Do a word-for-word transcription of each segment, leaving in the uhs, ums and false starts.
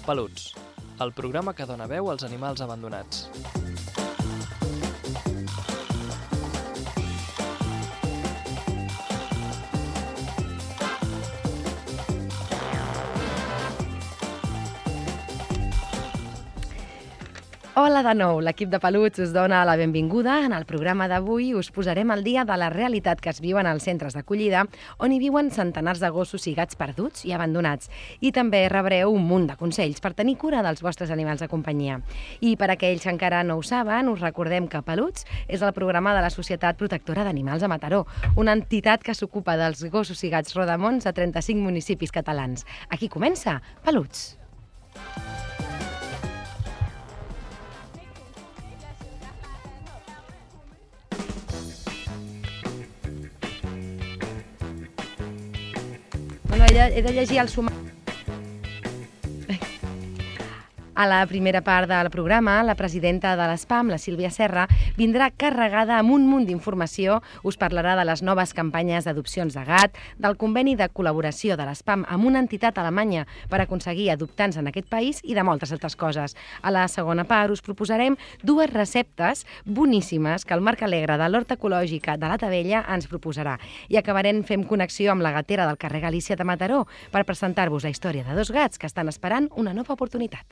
Peluts, el programa que dona veu als animals abandonats. Hola de nou, l'equip de Peluts us dona la benvinguda. En el programa d'avui us posarem al dia de la realitat que es viuen als centres d'acollida, on hi viuen centenars de gossos i gats perduts i abandonats. I també rebreu un munt de consells per tenir cura dels vostres animals de companyia. I per aquells que encara no ho saben, us recordem que Peluts és el programa de la Societat Protectora d'Animals a Mataró, una entitat que s'ocupa dels gossos i gats rodamons a trenta-cinc municipis catalans. Aquí comença Peluts. Bueno, he de llegir el sumari. A la primera part del programa, la presidenta de l'ESPAM, la Sílvia Serra, vindrà carregada amb un munt d'informació. Us parlarà de les noves campanyes d'adopcions de gat, del conveni de col·laboració de l'ESPAM amb una entitat alemanya per aconseguir adoptants en aquest país i de moltes altres coses. A la segona part us proposarem dues receptes boníssimes que el Marc Alegre de l'Horta Ecològica de la Tavella ens proposarà. I acabarem fent connexió amb la gatera del carrer Galícia de Mataró per presentar-vos la història de dos gats que estan esperant una nova oportunitat.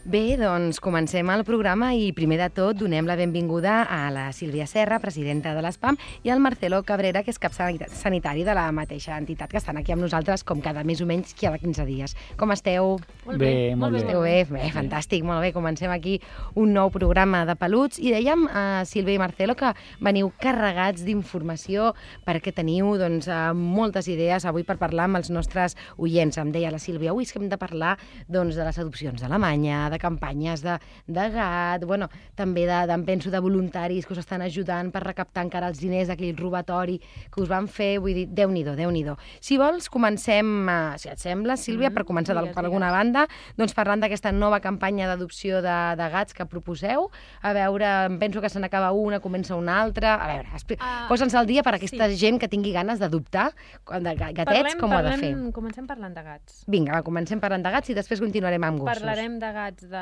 Bé, doncs comencem el programa i primer de tot donem la benvinguda a la Sílvia Serra, presidenta de l'ESPAM, i al Marcelo Cabrera, que és cap sanitari de la mateixa entitat, que estan aquí amb nosaltres com cada més o menys cada quinze dies. Com esteu? Molt bé, bé molt bé. Esteu bé? Bé, fantàstic, molt bé. Comencem aquí un nou programa de Peluts i dèiem a Sílvia i Marcelo que veniu carregats d'informació perquè teniu doncs, moltes idees avui per parlar amb els nostres oients. Em deia la Sílvia, avui és que hem de parlar doncs, de les adopcions d'Alemanya, de campanyes de, de gat, bueno, també de, de, penso de voluntaris que us estan ajudant per recaptar encara els diners d'aquell robatori que us van fer, vull dir, Déu-n'hi-do, Déu-n'hi-do. Si vols, comencem, uh, si et sembla, Sílvia, mm, per començar digues, per alguna digues. banda, doncs parlant d'aquesta nova campanya d'adopció de, de gats que proposeu. A veure, penso que se n'acaba una, comença una altra. A veure, uh, posa'ns al dia per a aquesta sí. gent que tingui ganes d'adoptar, de gatets, parlem, com parlem, ho ha de fer. Comencem parlant de gats. Vinga, va, comencem parlant de gats i després continuarem amb gossos. Parlarem de gats de,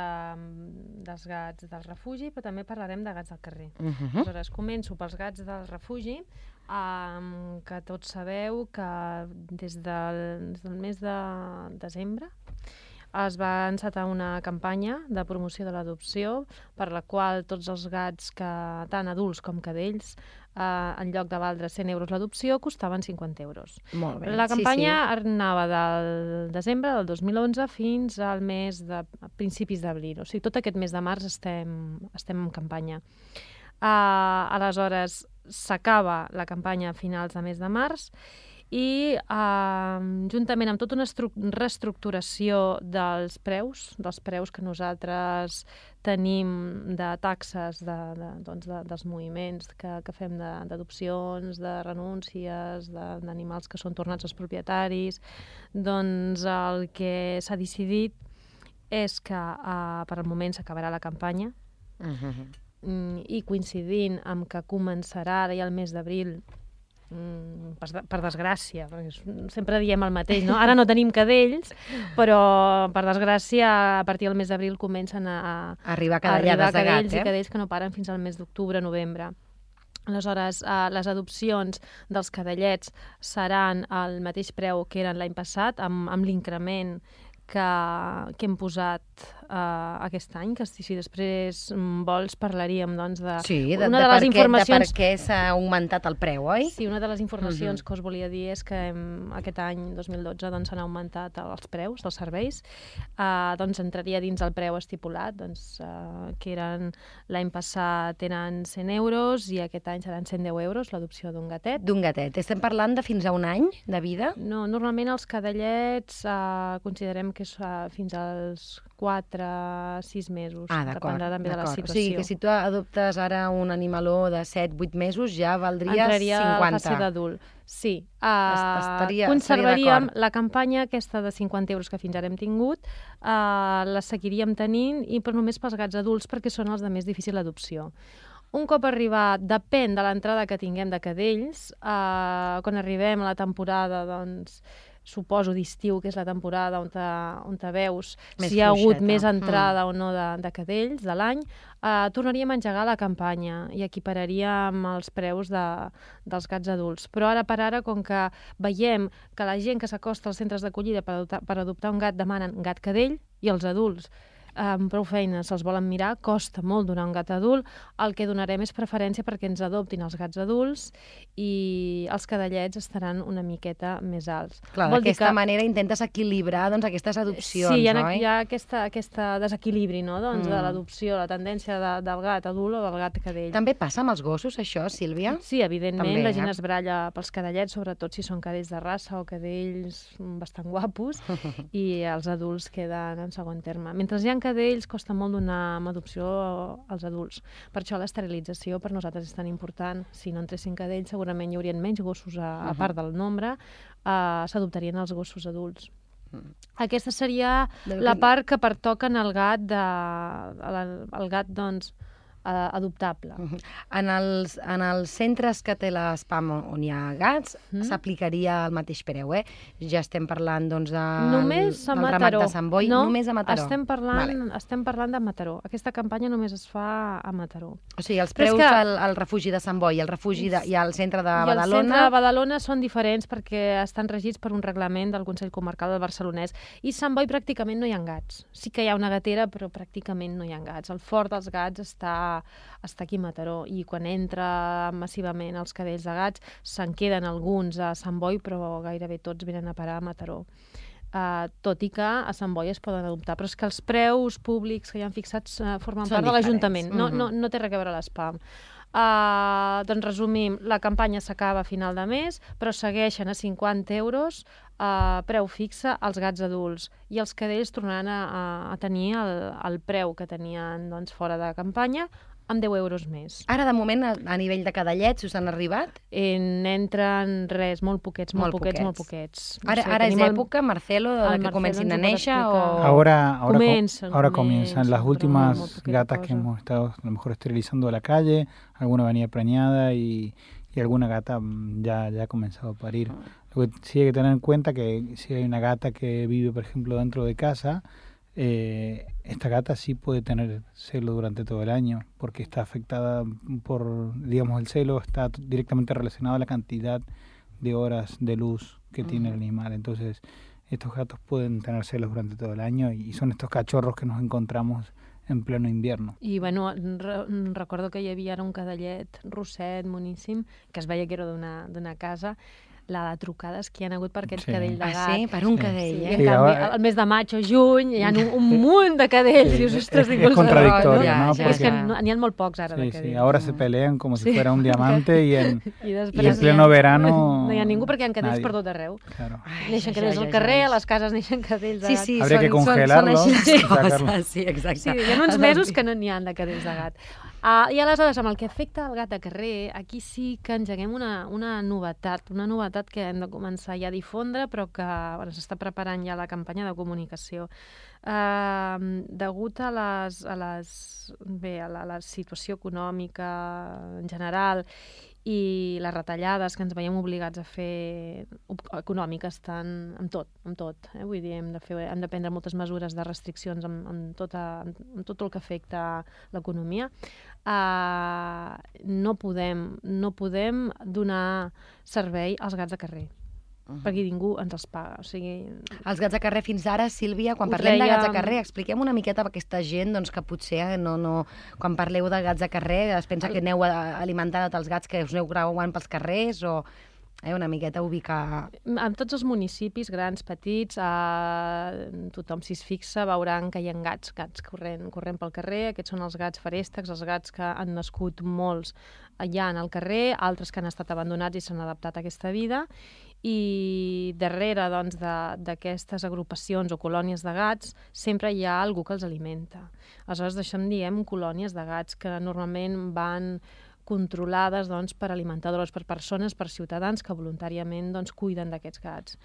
dels gats del refugi, però també parlarem de gats del carrer. Uh -huh. Aleshores, començo pels gats del refugi, um, que tots sabeu que des del, des del mes de desembre es va encetar una campanya de promoció de l'adopció per la qual tots els gats, que tant adults com cadells, Uh, en lloc de valdre cent euros l'adopció, costaven cinquanta euros. Molt bé. La campanya sí, sí. anava del desembre del dos mil onze fins al mes de a principis d'abril. O sigui, tot aquest mes de març estem, estem en campanya. Uh, aleshores, s'acaba la campanya a finals de mes de març i uh, juntament amb tota una reestructuració dels preus, dels preus que nosaltres tenim de taxes de, de, doncs de, dels moviments que, que fem d'adopcions, de, de renúncies, d'animals que són tornats als propietaris, doncs el que s'ha decidit és que uh, per al moment s'acabarà la campanya uh-huh. i coincidint amb que començarà ja el mes d'abril, Per, per desgràcia, perquè sempre diem el mateix, no? Ara no tenim cadells, però per desgràcia a partir del mes d'abril comencen a, a arribar cadellades de gat, cadells eh? i cadells que no paren fins al mes d'octubre, novembre. Aleshores, eh, les adopcions dels cadellets seran al mateix preu que eren l'any passat, amb, amb l'increment que, que hem posat uh, aquest any, que si després vols parlaríem doncs, de... Sí, de, una de, de, les per informacions... què, de per què s'ha augmentat el preu, oi? Sí, una de les informacions uh-huh. que us volia dir és que hem, aquest any, dos mil dotze, doncs, s'han augmentat els preus dels serveis. Uh, doncs entraria dins el preu estipulat, doncs, uh, que eren l'any passat eren cent euros i aquest any seran cent deu euros l'adopció d'un gatet. D'un gatet. Estem parlant de fins a un any de vida? No, normalment els cadellets uh, considerem que és uh, fins als quatre, sis mesos. Ah, d'acord. Dependrà també de la situació. O sigui que si tu adoptes ara un animaló de set vuit mesos ja valdria Entraria cinquanta. a la fase d'adult. Sí. Uh, estaria, conservaríem estaria la campanya aquesta de cinquanta euros que fins ara hem tingut, uh, la seguiríem tenint, i però només pels gats adults perquè són els de més difícil adopció. Un cop arribat, depèn de l'entrada que tinguem de cadells, uh, quan arribem a la temporada, doncs, suposo d'estiu, que és la temporada on te, on te veus més si hi ha hagut fluixeta. més entrada mm. o no de, de cadells de l'any, uh, tornaríem a engegar la campanya i equipararíem els preus de, dels gats adults. Però ara per ara, com que veiem que la gent que s'acosta als centres d'acollida per, adoptar, per adoptar un gat demanen gat cadell, i els adults amb prou feines se'ls volen mirar, costa molt donar un gat adult, el que donarem és preferència perquè ens adoptin els gats adults, i els cadellets estaran una miqueta més alts. Clar, d'aquesta que... manera intentes equilibrar doncs, aquestes adopcions, sí, hi ha, oi? hi ha aquesta, aquesta desequilibri, no? doncs, mm. de l'adopció, la tendència de, del gat adult o del gat cadell. També passa amb els gossos, això, Sílvia? Sí, evidentment, També, la gent eh? es baralla pels cadellets, sobretot si són cadells de raça o cadells bastant guapos, i els adults queden en segon terme. Mentre hi ha cadells, costa molt donar amb adopció als adults. Per això l'esterilització per nosaltres és tan important. Si no entressin cadells, segurament hi haurien menys gossos a, a part del nombre, uh, s'adoptarien els gossos adults. Mm. Aquesta seria la part que pertoca en el gat, de, el gat doncs, uh, adoptable. Uh-huh. En, els, en els centres que té l'Espam on hi ha gats, mm. s'aplicaria el mateix preu, eh? Ja estem parlant doncs, de, només a del Mataró. ramat de Sant Boi. No, només a Mataró. Estem parlant, vale. estem parlant de Mataró. Aquesta campanya només es fa a Mataró. O sigui, els preus que... al, al refugi de Sant Boi, el refugi de, i al centre de I Badalona... I el centre de Badalona són diferents perquè estan regits per un reglament del Consell Comarcal del Barcelonès. I Sant Boi pràcticament no hi ha gats. Sí que hi ha una gatera, però pràcticament no hi ha gats. El fort dels gats està, està aquí a Mataró. I quan entra massivament els cadells de gats, se'n queden alguns a Sant Boi, però gairebé tots venen a parar a Mataró. Uh, tot i que a Sant Boi es poden adoptar, però és que els preus públics que hi han fixats uh, formen Són part de l'Ajuntament, no, mm-hmm. no, no té res a veure l'Espam. Uh, doncs resumim, la campanya s'acaba a final de mes, però segueixen a cinquanta euros, uh, preu fixe als gats adults, i els cadells tornaran a, a, a tenir el, el preu que tenien doncs, fora de campanya, amb deu euros més. Ara, de moment, a, a nivell de cadellets, us han arribat? En, entren res, molt poquets, molt, molt poquets, poquets, molt poquets. No ara sé, ara és època, el, Marcelo, de que Marcelo comencin a néixer? O... Ahora, ahora, comencen, ahora comencen, comienzan las últimas gatas cosa. que hemos estado a lo mejor esterilizando a la calle, alguna venía preñada y, y alguna gata ya, ya ha comenzado a parir. Lo que sí hay que tener en cuenta que si hay una gata que vive, por ejemplo, dentro de casa, Eh, esta gata sí puede tener celo durante todo el año porque está afectada por, digamos, el celo está directamente relacionado a la cantidad de horas de luz que uh-huh. tiene el animal. Entonces, estos gatos pueden tener celos durante todo el año y son estos cachorros que nos encontramos en pleno invierno. I, bueno, re recordo que hi havia ara un cadellet rosset, moníssim, que es veia que era d'una casa, la de trucades que hi ha hagut per aquest sí. cadell de gat. Ah, sí? Per un sí. cadell, sí. eh? I en sí, canvi, el mes de maig o juny hi ha un, un munt de cadells. Sí. Dius, ostres, es, es contradictorio, no? ¿no? Sí, porque... És que n'hi ha molt pocs ara sí, de cadells. Sí, ahora se pelean como si sí. fuera un diamante y en, I, y en pleno verano... No hi ha ningú perquè hi ha cadells nadie. Per tot arreu. Claro. Ai, neixen cadells ja, ja, al carrer, ja, ja. A les cases neixen cadells de gat. Sí, sí, Habría són, que congelarlos. Són, són així les coses, sí, exacte. Sí, hi ha uns mesos que no n'hi ha de cadells de gat. Uh, I aleshores, amb el que afecta el gat de carrer, aquí sí que engeguem una, una novetat, una novetat que hem de començar ja a difondre, però que bueno, s'està preparant ja la campanya de comunicació. Uh, degut a les, a les, bé, a la, a la situació econòmica en general i les retallades que ens veiem obligats a fer econòmiques tant amb tot, amb tot. Eh? Vull dir, hem de, fer, hem de prendre moltes mesures de restriccions amb, amb, tota, amb tot el que afecta l'economia. Uh, no podem, no podem donar servei als gats de carrer. Uh-huh. Perquè ningú ens els paga. O sigui... Els gats de carrer fins ara, Sílvia, quan parlem deia... de gats de carrer, expliquem una miqueta per aquesta gent doncs, que potser no, no, quan parleu de gats de carrer es pensa que aneu alimentant els gats que us aneu creuant pels carrers o... Eh, una miqueta ubicar... En tots els municipis, grans, petits, eh, tothom si es fixa veuran que hi ha gats, gats corrent, corrent pel carrer. Aquests són els gats feréstecs, els gats que han nascut molts hi ha al carrer, altres que han estat abandonats i s'han adaptat a aquesta vida, i darrere doncs, d'aquestes agrupacions o colònies de gats sempre hi ha algú que els alimenta. Aleshores, d'això en diem colònies de gats, que normalment van controlades doncs, per alimentadores, per persones, per ciutadans que voluntàriament doncs, cuiden d'aquests gats.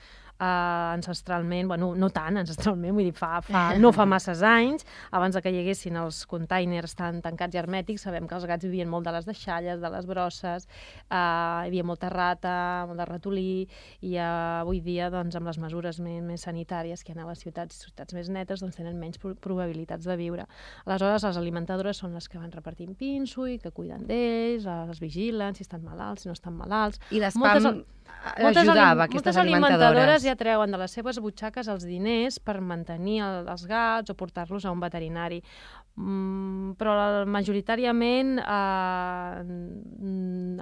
Uh, ancestralment, bueno, no tant ancestralment, vull dir, fa, fa, no fa masses anys, abans que hi haguessin els containers tan tancats i hermètics, sabem que els gats vivien molt de les deixalles, de les brosses, uh, hi havia molta rata, molt de ratolí, i uh, avui dia, doncs, amb les mesures més, més sanitàries que hi ha a les ciutats, ciutats més netes, doncs tenen menys probabilitats de viure. Aleshores, les alimentadores són les que van repartint pinso i que cuiden d'ells, les vigilen, si estan malalts, si no estan malalts. I l'espam ajudava, aquestes alimentadores. Moltes alimentadores ja treuen de les seves butxaques els diners per mantenir el, els gats o portar-los a un veterinari. Mm, però majoritàriament eh,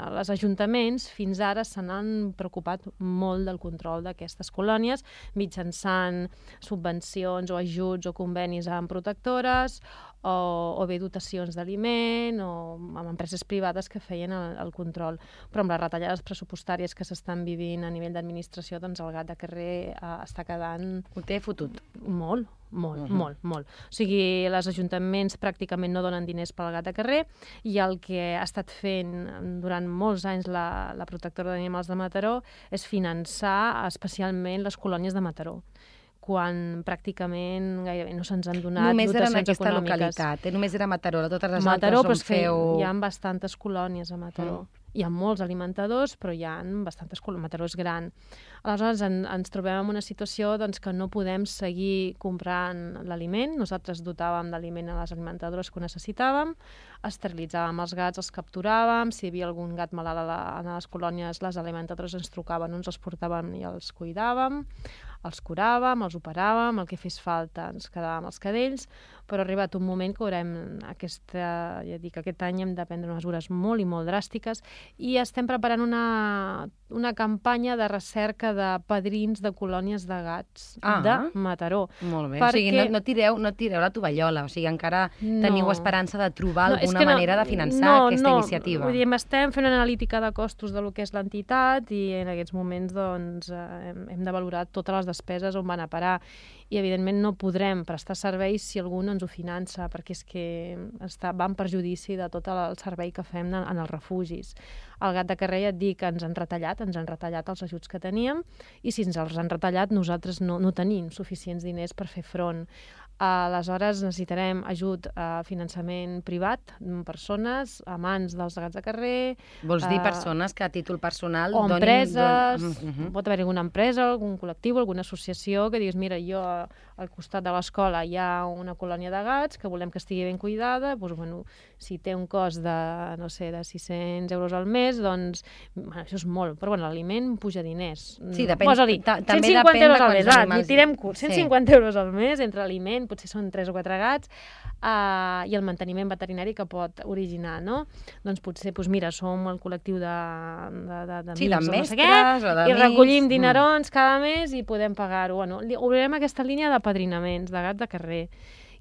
els ajuntaments fins ara se n'han preocupat molt del control d'aquestes colònies mitjançant subvencions o ajuts o convenis amb protectores o, o bé dotacions d'aliment o amb empreses privades que feien el, el control. Però amb les retallades pressupostàries que s'estan vivint a nivell d'administració, doncs el gat de carrer eh, està quedant... Ho té fotut. Molt. Molt, uh -huh. molt, molt. O sigui, els ajuntaments pràcticament no donen diners pel gat de carrer i el que ha estat fent durant molts anys la, la protectora d'animals de Mataró és finançar especialment les colònies de Mataró, quan pràcticament gairebé no se'ns han donat només dotacions era en aquesta econòmiques. Localitat, eh? Només era Mataró, totes les Mataró, altres on feu... hi ha bastantes colònies a Mataró. Mm. Hi ha molts alimentadors, però hi ha bastantes colònies. Mataró és gran. Aleshores, en, ens trobem en una situació doncs, que no podem seguir comprant l'aliment. Nosaltres dotàvem d'aliment a les alimentadores que ho necessitàvem, esterilitzàvem els gats, els capturàvem, si hi havia algun gat malalt a, la, a les colònies, les alimentadores ens trucaven, ens els portàvem i els cuidàvem, els curàvem, els operàvem, el que fes falta ens quedàvem els cadells, però ha arribat un moment que haurem aquesta, ja dic, aquest any hem de prendre mesures molt i molt dràstiques i estem preparant una, una campanya de recerca de padrins de colònies de gats ah, de Mataró. Molt bé, perquè... o sigui, no, no, tireu, no tireu la tovallola, o sigui, encara no. teniu esperança de trobar no, alguna no, manera de finançar no, aquesta no. iniciativa. Vull dir, estem fent una analítica de costos de lo que és l'entitat i en aquests moments doncs, hem, hem de valorar totes les despeses on van a parar i evidentment no podrem prestar serveis si algú no ens ho finança, perquè és que està, va en perjudici de tot el servei que fem en els refugis. El gat de carrer, ja et dic, ens han retallat, ens han retallat els ajuts que teníem i si ens els han retallat nosaltres no, no tenim suficients diners per fer front. Aleshores necessitarem ajut a finançament privat, persones, amants dels gats de carrer... Vols dir uh, persones que a títol personal o donin... empreses, Don... Uh -huh. pot haver alguna empresa, algun col·lectiu, alguna associació que diguis, mira, jo al costat de l'escola hi ha una colònia de gats que volem que estigui ben cuidada, doncs, bueno, si té un cost de, no sé, de sis-cents euros al mes, doncs, bueno, això és molt, però bueno, l'aliment puja diners. Sí, depèn. Posa-li cent cinquanta euros al mes, ah, ni tirem curt, cent cinquanta euros al mes entre aliment, potser són tres o quatre gats, uh, i el manteniment veterinari que pot originar, no? Doncs potser, doncs mira, som el col·lectiu de, de, de, de sí, de mestres no sé què, o de i recollim mm. dinerons cada mes i podem pagar-ho. Bueno, obrirem aquesta línia de padrinaments, de gats de carrer.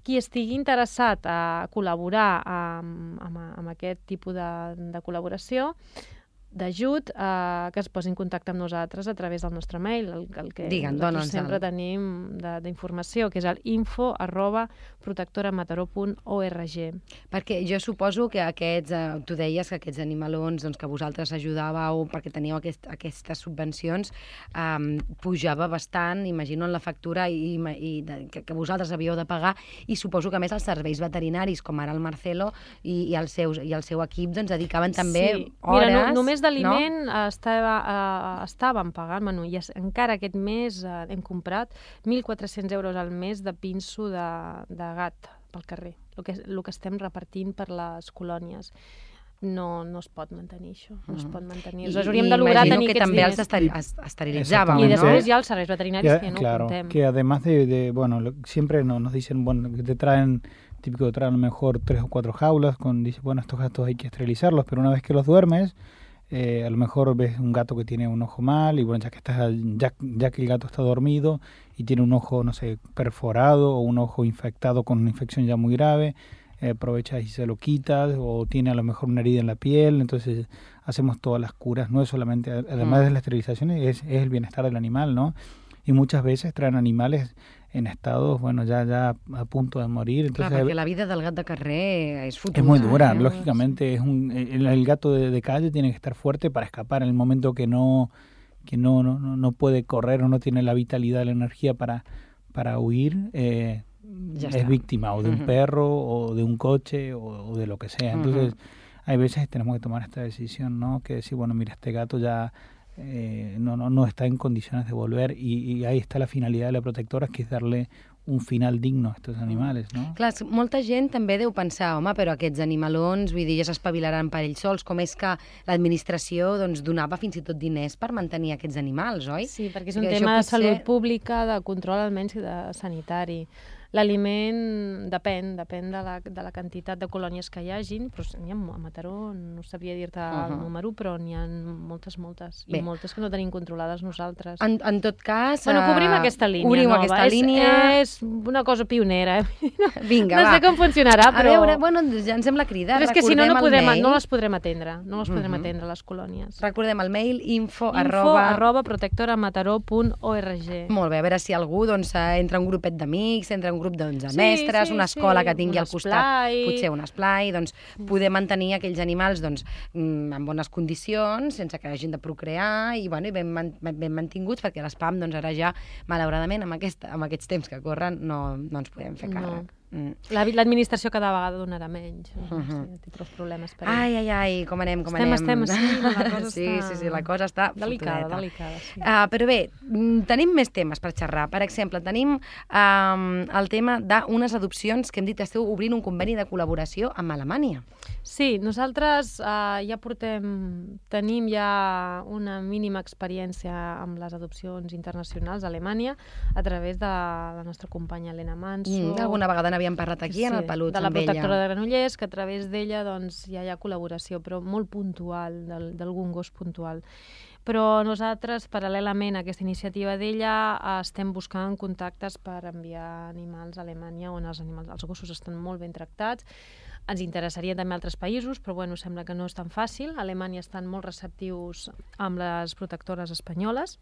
Qui estigui interessat a col·laborar amb, amb, amb aquest tipus de, de col·laboració, d'ajut, eh, que es posi en contacte amb nosaltres a través del nostre mail, el, el que Digue'm, nosaltres sempre el... tenim d'informació, que és el info arroba protectoramataró punt org. Perquè jo suposo que aquests, eh, tu deies que aquests animalons doncs, que vosaltres ajudàveu perquè teníeu aquest, aquestes subvencions, eh, pujava bastant, imagino, en la factura i, i de, que, que vosaltres havíeu de pagar, i suposo que a més els serveis veterinaris, com ara el Marcelo i, i, el, seus, i el seu equip, doncs dedicaven també sí. hores... Mira, no, només d'aliment no? estava, uh, estàvem pagant, bueno, i es, encara aquest mes uh, hem comprat mil quatre-cents euros al mes de pinso de, de gat pel carrer, el que, el que estem repartint per les colònies. No, no es pot mantenir això, no es pot mantenir. Aleshores, hauríem de lograr tenir que aquests també diners. els esteri esterilitzàvem, I després ¿no? hi ha els serveis veterinaris que, que no claro, contem. que además de, de bueno, lo, siempre no, nos dicen, bueno, que te traen, típico de traen a lo mejor tres o cuatro jaulas, con dice, bueno, estos gatos hay que esterilizarlos, pero una vez que los duermes, Eh, a lo mejor ves un gato que tiene un ojo mal y bueno, ya que estás, ya, ya que el gato está dormido y tiene un ojo, no sé, perforado o un ojo infectado con una infección ya muy grave, eh, aprovechas y se lo quitas, o tiene a lo mejor una herida en la piel, entonces hacemos todas las curas, no es solamente, además mm. de la esterilización, es, es el bienestar del animal, ¿no? Y muchas veces traen animales en estados, bueno, ya ya a punto de morir. Entonces, clar, perquè la vida del gat de carrer és fotuda. Es muy dura, eh? lógicamente. Es un, el, el gato de, de calle tiene que estar fuerte para escapar en el momento que no que no no, no puede correr o no tiene la vitalidad, la energía para, para huir, eh, ya es está. víctima o de un uh-huh. perro o de un coche o, o de lo que sea. Entonces, uh-huh. hay veces tenemos que tomar esta decisión, ¿no? Que decir, bueno, mira, este gato ya... Eh, no, no, no está en condiciones de volver y, y ahí está la finalidad de la protectora, que es darle un final digno a estos animales, no? Clar, molta gent també deu pensar, home, però aquests animalons, vull dir, ja s'espavilaran per ells sols, com és que l'administració doncs, donava fins i tot diners per mantenir aquests animals, oi? Sí, perquè és un tema de potser... salut pública, de control almenys de sanitari. L'aliment depèn, depèn de la, de la quantitat de colònies que hi hagin, però n'hi ha a Mataró, no sabria dir-te uh-huh. el número, però n'hi ha moltes, moltes, i Bé. moltes que no tenim controlades nosaltres. En, en tot cas... Bueno, cobrim aquesta línia Obrim nova. aquesta és, línia... És una cosa pionera. Eh? Vinga, no va. No sé com funcionarà, però... A veure, bueno, ja ens hem la crida. Però és que si no, no, podrem, no les podrem atendre. No les podrem uh-huh. atendre, les colònies. Recordem el mail info, info arroba... arroba protectoramataró punt org. Molt bé, a veure si algú doncs, entra un grupet d'amics, entra un grup doncs, de mestres, Sí, sí, una escola sí, que tingui al costat, esplai. potser un esplai, doncs poder mantenir aquells animals doncs, en bones condicions, sense que hagin de procrear i, bueno, i ben, ben mantinguts, perquè l'espam doncs, ara ja, malauradament, amb, aquesta, amb aquests temps que corren, no, no ens podem fer càrrec. No. Mm. L'administració cada vegada donarà menys. Uh-huh. Sí, té prou problemes per ai, ai, ai, com anem, com estem, anem. Estem, estem, la cosa sí, està... sí, sí, la cosa està delicada, fotudeta. delicada. Sí. Uh, però bé, tenim més temes per xerrar. Per exemple, tenim um, el tema d'unes adopcions que hem dit que esteu obrint un conveni de col·laboració amb Alemanya. Sí, nosaltres uh, ja portem, tenim ja una mínima experiència amb les adopcions internacionals a Alemanya a través de la nostra companya Helena Manso. Mm, alguna vegada n'havíem parlat aquí, sí, en el Peluts, de la amb ella. protectora de Granollers, que a través d'ella doncs, ja hi ha col·laboració, però molt puntual, d'algun gos puntual. Però nosaltres, paral·lelament a aquesta iniciativa d'ella, estem buscant contactes per enviar animals a Alemanya, on els, animals, els gossos estan molt ben tractats. Ens interessaria també altres països, però bueno, sembla que no és tan fàcil. A Alemanya estan molt receptius amb les protectores espanyoles.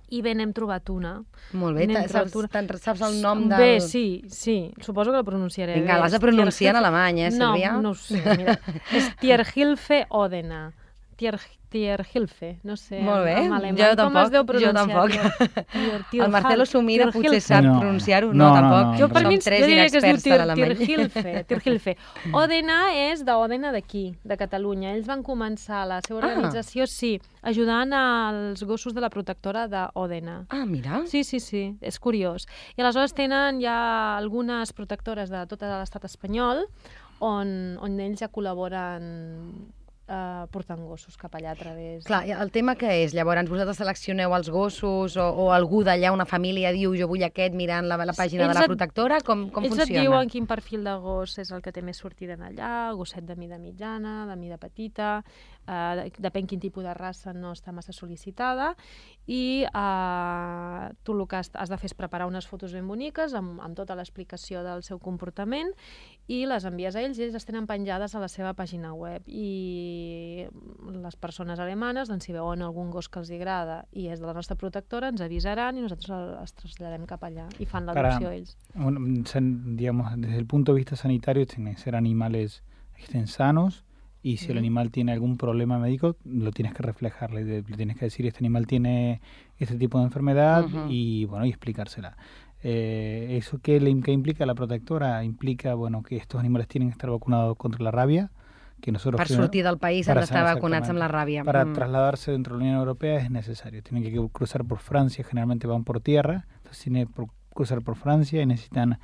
I bé, n'hem trobat una. Molt bé, saps, una... saps el nom del... Bé, sí, sí, suposo que la pronunciaré. Vinga, l'has de pronunciar en alemany, eh, Sílvia? No, no ho sé, mira. És Tierhilfe Odena. Tier, Tierhilfe, no sé. Molt bé, en alemany. jo tampoc, com es deu pronunciar? Jo tampoc. Tier, tier, el Marcelo Sumira potser sap no. pronunciar-ho, no, no, no, tampoc. No, no, jo per no. mi jo diria que es diu tier, Tierhilfe, Tierhilfe. Odena és d'Odena d'aquí, de Catalunya. Ells van començar la seva organització, ah. sí, ajudant als gossos de la protectora d'Odena. Ah, mira. Sí, sí, sí, és curiós. I aleshores tenen ja algunes protectores de tot l'estat espanyol on, on ells ja col·laboren Uh, portant gossos cap allà a través... Clar, el tema que és? Llavors, vosaltres seleccioneu els gossos o, o algú d'allà, una família, diu jo vull aquest mirant la, la pàgina ells de la protectora? Com, com ells funciona? Ells et diuen quin perfil de gos és el que té més sortida en allà, gosset de mida mitjana, de mida petita, uh, depèn quin tipus de raça no està massa sol·licitada, i uh, tu el que has, has de fer és preparar unes fotos ben boniques amb, amb tota l'explicació del seu comportament i les envies a ells i ells les tenen penjades a la seva pàgina web. I les persones alemanes, doncs, si veuen algun gos que els agrada i és de la nostra protectora, ens avisaran i nosaltres els traslladem cap allà i fan l'adopció ells. Un, digamos, desde el punto de vista sanitario, tienen que ser animales estén sanos y si uh-huh. el animal tiene algún problema médico, lo tienes que reflejar, le, le tienes que decir este animal tiene este tipo de enfermedad uh-huh. y bueno, y explicársela. Eh, ¿Eso qué, le, qué implica la protectora? Implica, bueno, que estos animales tienen que estar vacunados contra la rabia, que nosotros per sortir del país han d'estar vacunats amb la ràbia. Para mm. trasladarse dentro de la Unión Europea es necesario. Tienen que cruzar por Francia, generalmente van por tierra, entonces tienen que cruzar por Francia y necesitan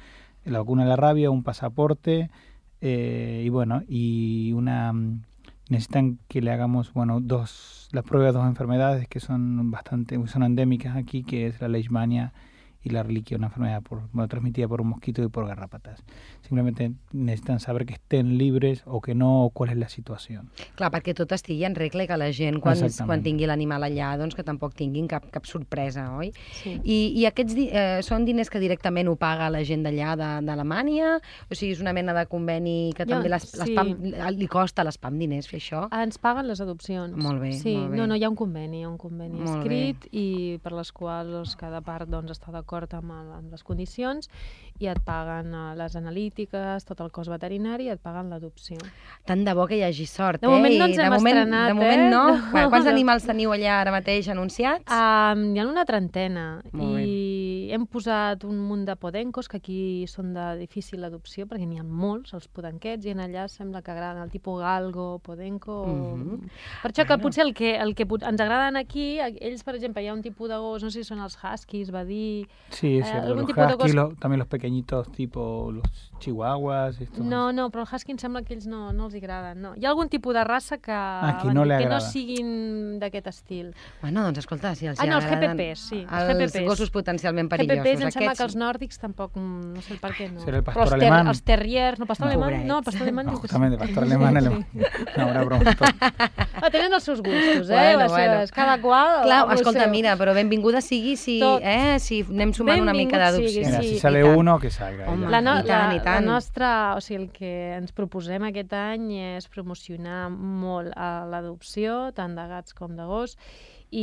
la vacuna de la rabia, un pasaporte eh, y bueno, y una necesitan que le hagamos, bueno, dos, las pruebas de dos enfermedades que son bastante, son endémicas aquí, que es la leishmania y la reliquia una enfermedad por, bueno, transmitida por un mosquito y por garrapatas. Simplemente necesitan saber que estén libres o que no, o cuál es la situació. Clar, perquè tot estigui en regla i que la gent, quan, quan tingui l'animal allà, doncs que tampoc tinguin cap, cap sorpresa, oi? Sí. I, i aquests di eh, són diners que directament ho paga la gent d'allà, d'Alemanya? O sigui, és una mena de conveni que Jo, també les, sí. les PAM, li costa a les PAM diners fer això? Ens paguen les adopcions. Molt bé, sí, molt bé. No, no, hi ha un conveni, hi ha un conveni Molt escrit i per les quals doncs, cada part doncs, està d'acord amb, amb les condicions i et paguen uh, les analítiques, tot el cost veterinari i et paguen l'adopció. Tant de bo que hi hagi sort, de eh? moment no ens de hem moment, estrenat, de moment eh? no. no. Bueno, quants animals teniu allà ara mateix anunciats? Um, hi ha una trentena Molt i bé. hem posat un munt de podencos que aquí són de difícil adopció perquè n'hi ha molts, els podenquets, i en allà sembla que agraden el tipus galgo, podenco... Mhm. Per això que Bueno. potser el que, el que pot- ens agraden aquí, ells, per exemple, hi ha un tipus de gos, no sé si són els huskies, va dir... Sí, es Eh, cierto. algún Los tipo de huskies, cos- lo- también los pequeñitos tipo los chihuahuas. Estos. No, no, però el husky em sembla que ells no, no els agraden. No. Hi ha algun tipus de raça que, Ah, que van no dir li que no agrada. siguin d'aquest estil. Bueno, doncs escolta, si els Ah, no, els agraden G P Ps, sí, els els G P Ps. gossos potencialment perillosos. G P Ps em sembla Aquests- que els nòrdics tampoc, mm, no sé el per què no. Serà el Però pastor els, alemán. els terriers, no, pastor No. alemán, no, el pastor alemán No, diu que sí. justamente, pastor alemán, alemán. No, ahora broma. Ah, tenen els seus gustos, eh? Bueno, les bueno. seves, cada qual... Clar, amb el escolta, seu. mira, però benvinguda sigui si, Tot. eh, si anem sumant una mica Benvingut d'adopció. sigui, Mira, sí, si i sale tant. uno, que salga. Home, ya. La, no, I tant, i la, tant. la nostra, o sigui, el que ens proposem aquest any és promocionar molt a l'adopció, tant de gats com de gos,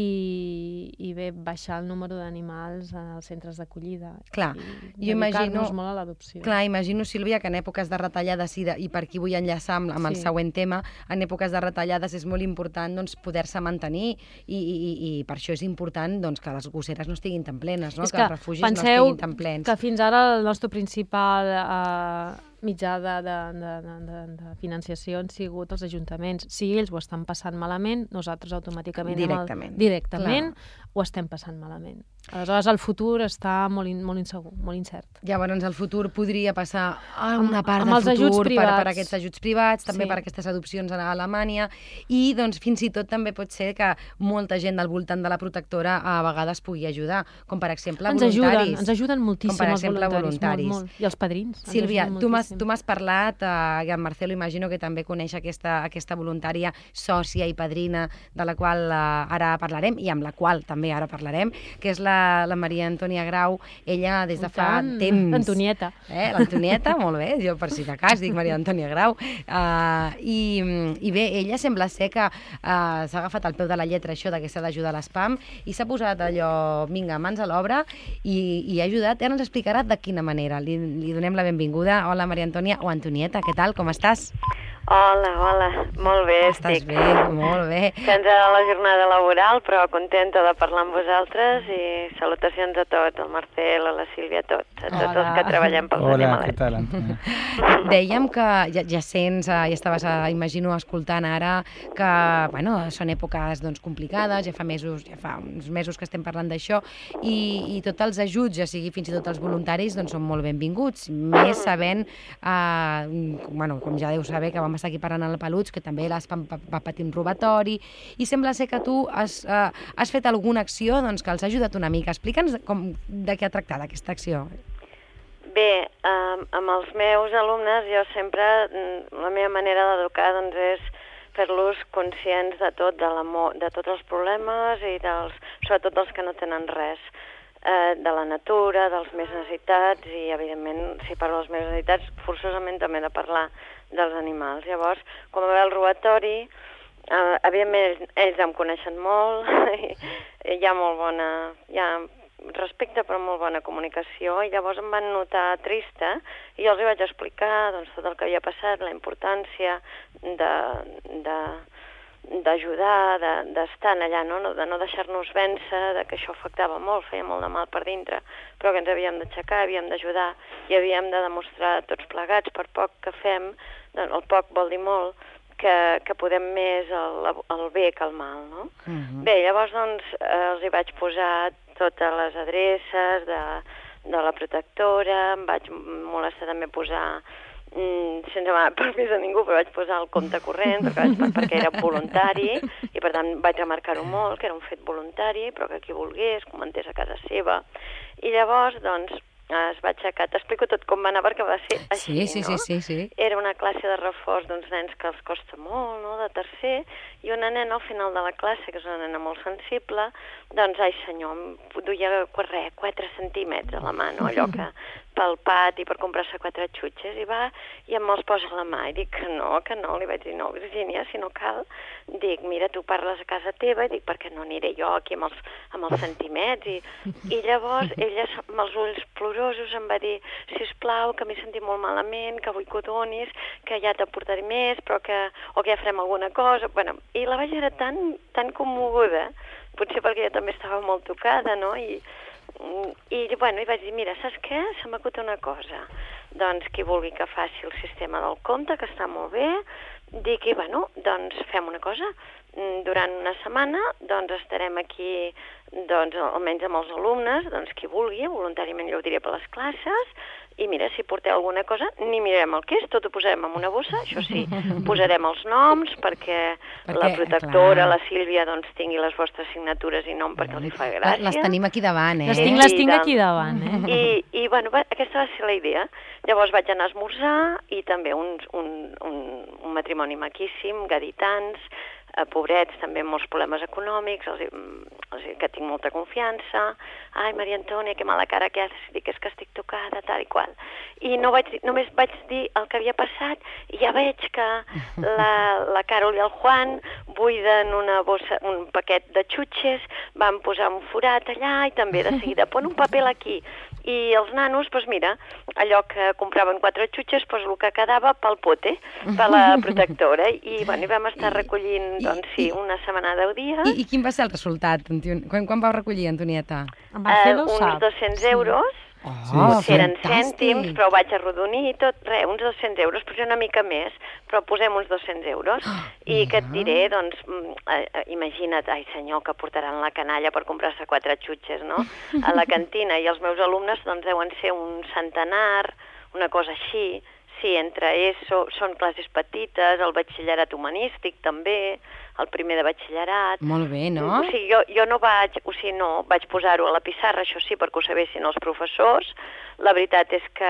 i, i bé, baixar el número d'animals als centres d'acollida. Clar, I jo imagino- dedicar-nos molt a l'adopció. Clar, imagino, Sílvia, que en èpoques de retallades, i, de, i per aquí vull enllaçar amb, amb el Sí. següent tema, en èpoques de retallades és molt important doncs, poder-se mantenir i, i, i, i per això és important doncs, que les gosseres no estiguin tan plenes, no? És que, que els refugis penseu no estiguin tan plens. que fins ara el nostre principal eh, mitjà de, de, de, de, de, de financiació han sigut els ajuntaments. Si ells ho estan passant malament, nosaltres automàticament... amb el- Directament. Directament ho estem passant malament. Aleshores, el futur està molt, in, molt insegur, molt incert. Llavors, el futur podria passar a Amb- una part amb del els ajuts futur per, per privats. aquests ajuts privats, també Sí. per aquestes adopcions a Alemanya, i doncs, fins i tot també pot ser que molta gent del voltant de la protectora a vegades pugui ajudar, com per exemple Ens voluntaris. ajuden, ens ajuden moltíssim com per els exemple voluntaris. voluntaris. Molt, molt. I els padrins. ens Sílvia, ajuden tu m'has moltíssim. tu m'has parlat, eh, i en Marcelo imagino que també coneix aquesta, aquesta voluntària sòcia i padrina de la qual eh, ara parlarem, i amb la qual també ara parlarem, que és la, la Maria Antònia Grau. Ella des de I fa tant, temps... Antonieta. Eh, L'Antonieta, molt bé, jo per si de cas dic Maria Antònia Grau. Uh, i, I bé, ella sembla ser que uh, s'ha agafat al peu de la lletra això de que s'ha d'ajudar a l'S P A M i s'ha posat allò, vinga, mans a l'obra i, i ha ajudat. Ara ens explicarà de quina manera. Li, li donem la benvinguda. Hola, Maria Antònia, o Antonieta, què tal, com estàs? Hola, hola, molt bé, Estàs estic. bé, molt bé. Cansada de la jornada laboral, però contenta de parlar amb vosaltres i salutacions a tots, al Marcel, a la Sílvia, a tots, a tots Hola. els que treballem pels Hola, ¿qué animalets. tal, Antonia? Dèiem que ja, ja sents, eh, ja estaves, eh, imagino, escoltant ara que, bueno, són èpoques doncs, complicades, ja fa mesos, ja fa uns mesos que estem parlant d'això, i, i tots els ajuts, ja sigui fins i tot els voluntaris, doncs són molt benvinguts, més sabent, eh, bueno, com ja deu saber, que vam estar aquí parlant al Peluts, que també l'S P A M va, va patir un robatori, i sembla ser que tu has, eh, has fet alguna acció doncs, que els ha ajudat una mica. Explica'ns com, de què ha tractat aquesta acció. Bé, um, amb els meus alumnes jo sempre, mm, la meva manera d'educar doncs, és fer-los conscients de tot, de, de tots els problemes i dels, sobretot dels que no tenen res, eh, de la natura, dels més necessitats i, evidentment, si parlo dels més necessitats, forçosament també he de parlar dels animals. Llavors, quan va haver el robatori, eh, evidentment ells, ells em coneixen molt, i hi ha molt bona... Hi ha respecte però molt bona comunicació, i llavors em van notar trista i jo els hi vaig explicar doncs, tot el que havia passat, la importància de, de, d'ajudar, d'estar de, allà, no? de no deixar-nos vèncer, de que això afectava molt, feia molt de mal per dintre, però que ens havíem d'aixecar, havíem d'ajudar i havíem de demostrar tots plegats, per poc que fem, doncs, el poc vol dir molt, que, que podem més el, el bé que el mal, no? Uh-huh. Bé, llavors doncs, eh, els hi vaig posar totes les adreces de, de la protectora, em vaig molestar també posar mm, sense demanar permís a ningú, però vaig posar el compte corrent perquè, vaig, perquè era voluntari i per tant vaig remarcar-ho molt, que era un fet voluntari, però que qui volgués comentés a casa seva. I llavors, doncs, es va aixecar. T'explico tot com va anar perquè va ser així, sí, sí, no? Sí, sí, sí. Era una classe de reforç d'uns nens que els costa molt, no?, de tercer, i una nena al final de la classe, que és una nena molt sensible, doncs, ai senyor, em duia res, quatre centímetres a la mà, no?, allò que pel pati per comprar-se quatre xutxes, i va i em els posa a la mà, i dic que no, que no, li vaig dir, no, Virgínia, si no cal, dic, mira, tu parles a casa teva, i dic, perquè no aniré jo aquí amb els, amb els centimets, i, i llavors ella amb els ulls plorosos em va dir, sisplau, que m'he sentit molt malament, que vull que ho donis, que ja t'aportaré més, però que, o que ja farem alguna cosa, bueno, i la vaig veure tan, tan commoguda, potser perquè jo també estava molt tocada, no?, i I, bueno, i vaig dir, mira, saps què? Se m'acuta una cosa. Doncs qui vulgui que faci el sistema del compte, que està molt bé, dic, i bueno, doncs fem una cosa. Durant una setmana, doncs estarem aquí, doncs, almenys amb els alumnes, doncs qui vulgui, voluntàriament jo ho diré per les classes, i mira, si porteu alguna cosa, ni mirarem el que és, tot ho posarem en una bossa, això sí, posarem els noms perquè, perquè la protectora, clar, la Sílvia, doncs tingui les vostres signatures i nom perquè els hi fa gràcia. Les tenim aquí davant, eh? Les tinc, les tinc aquí davant, eh? I, i bueno, va, aquesta va ser la idea. Llavors vaig anar a esmorzar i també un, un, un, un matrimoni maquíssim, gaditans, eh, pobrets, també amb molts problemes econòmics, els, els, que tinc molta confiança. Ai, Maria Antònia, que mala cara que has, dic, és que estic tocada, tal i qual. I no vaig, només vaig dir el que havia passat i ja veig que la, la Carol i el Juan buiden una bossa, un paquet de xutxes, van posar un forat allà i també de seguida pon un paper aquí. I els nanos, doncs mira, allò que compraven quatre xutxes, doncs el que quedava pel pote, per la protectora. I, bueno, i vam estar recollint, doncs sí, una setmana, deu dies. I, i quin va ser el resultat? Quan, quan vau recollir, Antonieta? Uh, uns dos-cents euros. Oh, sí, eren cèntims, però ho vaig arrodonir i tot, res, uns dos-cents euros, potser una mica més, però posem uns dos-cents euros. I que et diré, doncs, eh, imagina't, ai senyor, que portaran la canalla per comprar-se quatre xutxes, no?, a la cantina, i els meus alumnes, doncs, deuen ser un centenar, una cosa així. Sí, entre ESO, són classes petites, el batxillerat humanístic també, el primer de batxillerat. Molt bé, no? O sigui, jo, jo no vaig, o sigui, no, vaig posar-ho a la pissarra, això sí, perquè ho sabessin els professors. La veritat és que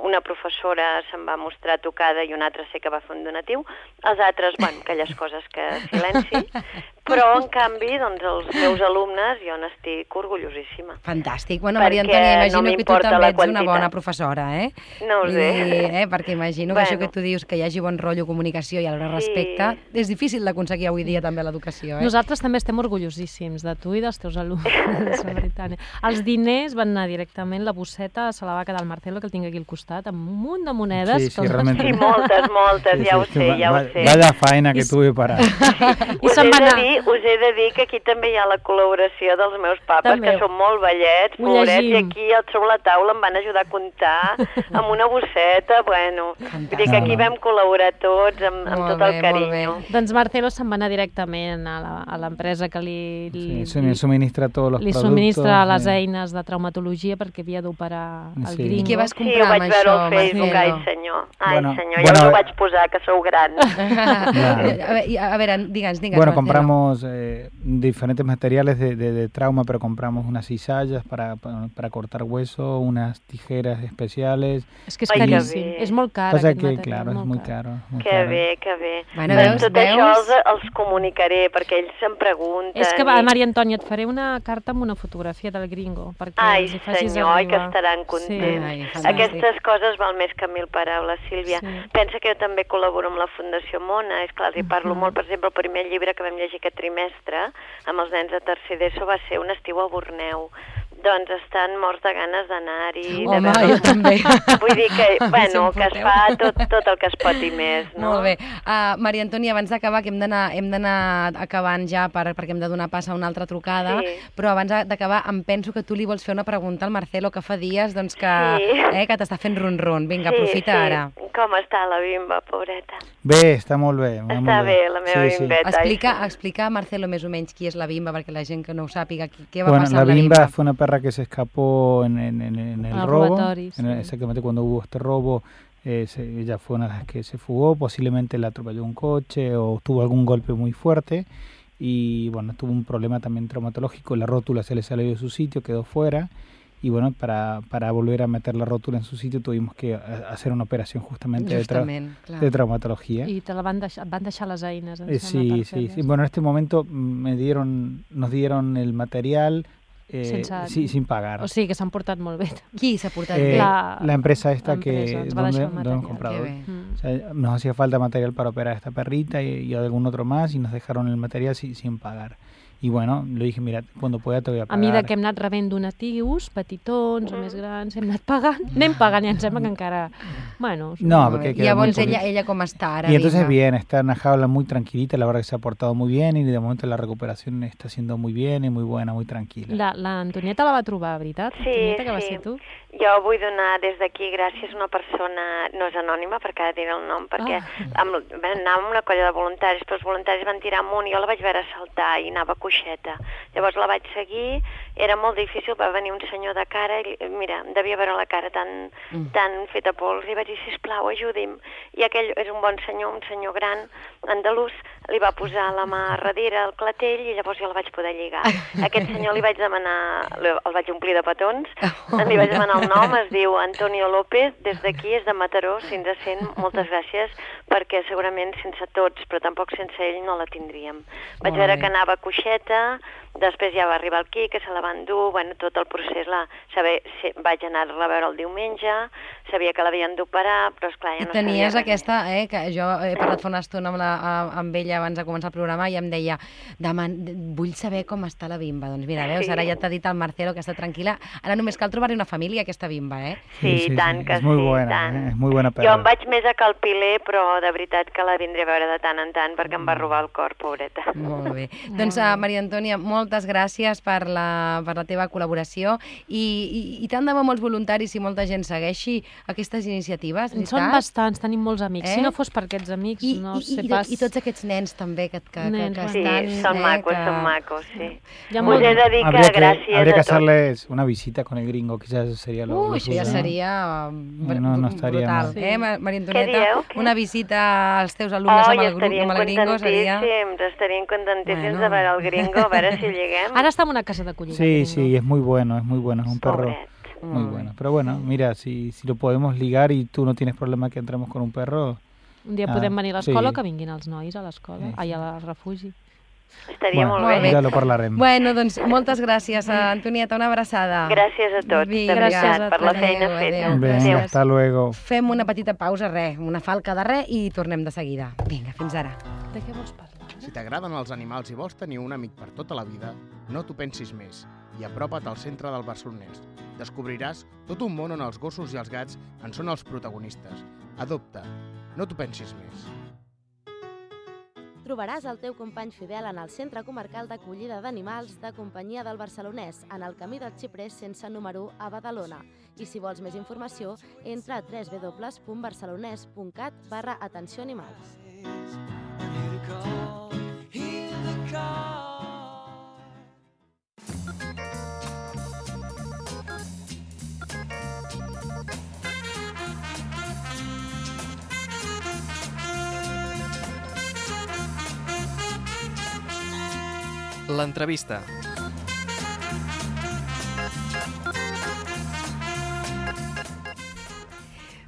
una professora se'n va mostrar tocada i una altra sé que va fer un donatiu. Els altres, bueno, aquelles coses que silenci. Però, en canvi, doncs, els meus alumnes, jo n'estic orgullosíssima. Fantàstic. Bueno, Maria Antònia, imagino no que tu també ets una bona professora, eh? No ho sé. I, eh? Perquè imagino bueno. que això que tu dius, que hi hagi bon rotllo, comunicació i alhora sí. respecte, és difícil d'aconseguir avui dia també l'educació, eh? Nosaltres també estem orgullosíssims de tu i dels teus alumnes, la veritat. Els diners van anar directament, la bosseta se la va quedar el Marcelo, que el tinc aquí al costat, amb un munt de monedes. Sí, sí, que realment. Sí, moltes, moltes, sí, ja ho sí, sé, ja va, ho sé. Vaya faena que tuve para... I us, he de dir, us he de dir que aquí també hi ha la col·laboració dels meus papes, també. Que són molt vellets, pobrets, i aquí sobre la taula em van ajudar a comptar amb una bosseta, bueno, vull dir que aquí vam col·laborar tots amb, amb tot el carinyo. Doncs Marcelo se'n va anar directament a l'empresa que li, li, sí, li subministra tots els li productes. Li subministra les eines de traumatologia perquè havia d'operar el sí. gringo. I què vas comprar sí, amb això, Marcelo? Sí, ho vaig veure al Facebook, ai senyor, ai bueno, senyor, bueno, jo no ho vaig posar, que sou gran. a, ver, a ver, digues, digues, Bueno, Marcelo. compramos eh, diferentes materiales de, de, de trauma, pero compramos unas cizallas para, para, para cortar hueso, unas tijeras especiales. És que és caríssim, és molt car Pasa aquest que, material. claro, es muy caro. Muy que caro. bé, que bé. Bueno, doncs veus, tot veus? això els, els comunicaré, perquè ells se'm pregunten. És que, va, i... Maria Antònia, et faré una carta amb una fotografia del gringo, perquè ai, els hi facis senyor, ai, que arribar. estaran contents. Sí. Ai, aquestes coses val més que mil paraules, Sílvia. Sí. Pensa que jo també col·laboro amb la Fundació Mona, és clar, els hi parlo uh -huh. molt. Per exemple, el primer llibre que vam llegir aquest trimestre amb els nens de tercer d'ESO va ser Un estiu a Borneo. Doncs estan morts de ganes d'anar-hi. Home, de jo també. Vull dir que, bueno, que es fa tot, tot el que es pot i més, no? Molt bé. Uh, Maria Antònia, abans d'acabar, que hem d'anar hem d'anar acabant ja per, perquè hem de donar pas a una altra trucada, sí. però abans d'acabar em penso que tu li vols fer una pregunta al Marcelo, que fa dies doncs, que, sí. eh, que t'està fent ron-ron. Vinga, sí, aprofita sí. ara. Com està la bimba, pobreta? Bé, està molt bé. Està molt bé, la meva sí, bimbeta. Sí. Explica, explica a Marcelo més o menys qui és la bimba, perquè la gent que no ho sàpiga, què va bueno, passar la amb la bimba? bimba? Fue una perra que se escapó en, en, en, en el ah, robo, robatoris, en el, sí. exactamente cuando hubo este robo Eh, se, ella fue una de las que se fugó, posiblemente la atropelló un coche o tuvo algún golpe muy fuerte y bueno, tuvo un problema también traumatológico, la rótula se le salió de su sitio, quedó fuera y bueno, para, para volver a meter la rótula en su sitio tuvimos que hacer una operación justamente de, tra de traumatología. Y te la van deixar, van deixar las eines. Eh, sí, sí, sí. Bueno, en este momento me dieron, nos dieron el material eh, Sense... sí, sin pagar. O sigui que s'han portat molt bé. Qui s'ha portat eh, bé? La, la empresa esta empresa, que donde, donde hemos comprado. Mm. O sea, nos hacía falta material para operar a esta perrita y, y a algún otro más y nos dejaron el material sin, sin pagar. I bueno, li dije, mira, quan pueda te voy a pagar. A mida que hem anat rebent donatius, petitons o més grans, hem anat pagant, anem pagant i em sembla que encara... Bueno, no, porque llavors ella, ella com està ara? Y entonces bien, está en una jaula muy tranquilita, la verdad que se ha portado muy bien y de momento la recuperación está siendo muy bien y muy buena, muy tranquila. La, la Antonieta la va trobar, veritat? Sí, Antonieta, que sí. va ser tu? Jo vull donar des d'aquí gràcies a una persona, no és anònima perquè ha de dir el nom, perquè ah. amb, anàvem amb una colla de voluntaris, però els voluntaris van tirar amunt i jo la vaig veure saltar i anava coixeta. Llavors la vaig seguir, era molt difícil, va venir un senyor de cara, i, mira, devia veure la cara tan, mm. tan feta pols, i vaig dir, sisplau, ajudi'm. I aquell és un bon senyor, un senyor gran, andalús, li va posar la mà a darrere al clatell i llavors jo la vaig poder lligar. Aquest senyor li vaig demanar, el vaig omplir de petons, li vaig demanar el nom, es diu Antonio López, des d'aquí és de Mataró, si ens sent, moltes gràcies, perquè segurament sense tots, però tampoc sense ell no la tindríem. Vaig veure que anava coixeta, després ja va arribar el Qui, que se la va endur, bueno, tot el procés, la, saber, vaig anar-la a veure el diumenge, sabia que l'havien d'operar, però esclar, ja no sabia. Tenies aquesta, eh, que jo he parlat fa una estona amb, la, amb ella abans de començar el programa i em deia, vull saber com està la bimba. Doncs mira, veus, ara ja t'ha dit el Marcelo que està tranquil·la, ara només cal trobar-hi una família, aquesta bimba, eh? Sí, sí, sí, tant sí. que és molt sí, buena, tant. Eh? És molt bona perra. Jo em vaig més a Calpiler, però de veritat que la vindré a veure de tant en tant perquè em va robar el cor, pobreta. Molt bé. Doncs, uh, Maria Antònia, moltes gràcies per la, per la teva col·laboració i, i, i tant de bo molts voluntaris i molta gent segueixi aquestes iniciatives, veritat? Són bastants, tenim molts amics. Eh? Si no fos per aquests amics, I, no i, sé i, pas... I tots aquests nens també que, que, nens, que, que sí, estan... són eh, macos, que... són macos, sí. Ja Us he de dir que habría que, gràcies habría que a tots. hacerles una visita con el gringo, quizás eso sería lo, Uy, lo això ja suyo, seria no, no, no estaria brutal, mal. eh, Maria Antonieta? Què dieu? Una visita als teus alumnes oh, amb, el grup, amb el gringo seria... Estarien contentíssims Bueno. de veure el gringo, a veure si lleguem. Ara està en una casa d'acollida. Sí, sí, es muy bueno, es muy bueno, es un perro Pobret. muy bueno. Pero bueno, mira, si, si lo podemos ligar y tú no tienes problema que entremos con un perro... Un dia ah, podem venir a l'escola sí. o que vinguin els nois a l'escola, Sí. ai, al refugi. Estaria bueno, molt bé. ja lo parlarem. Bueno, doncs moltes gràcies, Antonieta, una abraçada. Gràcies a tots, Vinga, de veritat, gràcies a per la tots. feina Adéu, feta. adéu. Venga, Gràcies. hasta luego. Fem una petita pausa, res, una falca de res i tornem de seguida. Vinga, fins ara. De què vols parlar? Si t'agraden els animals i vols tenir un amic per tota la vida, no t'ho pensis més i apropa't al centre del Barcelonès. Descobriràs tot un món on els gossos i els gats en són els protagonistes. Adopta, no t'ho pensis més. Trobaràs el teu company fidel en el Centre Comarcal d'Acollida d'Animals de Companyia del Barcelonès, en el Camí del Xiprer sense número a Badalona. I si vols més informació, entra a w w w punt barcelonès punt cat barra atenció animals. L'entrevista.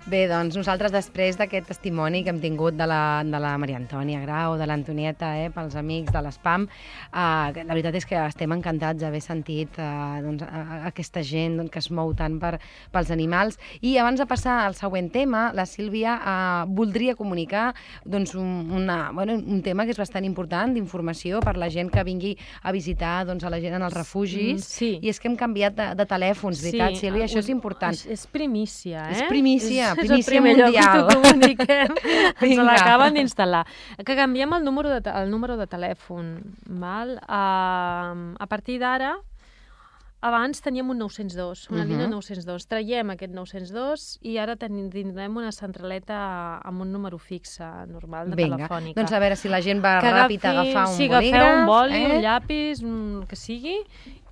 Bé, doncs nosaltres després d'aquest testimoni que hem tingut de la, de la Maria Antònia Grau, de l'Antonieta, eh, pels amics de l'Espam, eh, la veritat és que estem encantats d'haver sentit eh, doncs, a, a aquesta gent doncs, que es mou tant per, pels animals. I abans de passar al següent tema, la Sílvia eh, voldria comunicar doncs, un, una, bueno, un tema que és bastant important d'informació per la gent que vingui a visitar doncs, a la gent en els refugis. Mm, sí. I és que hem canviat de, de telèfons, veritat, sí, Sílvia? Això és important. És, és primícia, eh? És primícia. És, primícia és el primer mundial. lloc que t'ho comuniquem. Ens l'acaben d'instal·lar. Que canviem el número de, el número de telèfon. Val? Uh, a partir d'ara, abans teníem un nou-cents dos, una Uh-huh. línia nou-cents dos. Traiem aquest nou-cents dos i ara ten- tindrem una centraleta amb un número fixe normal de Vinga, telefònica. doncs a veure si la gent va Que ràpid a agafi- agafar un sí, bolígraf. agafeu un boli, eh? un llapis, un que sigui,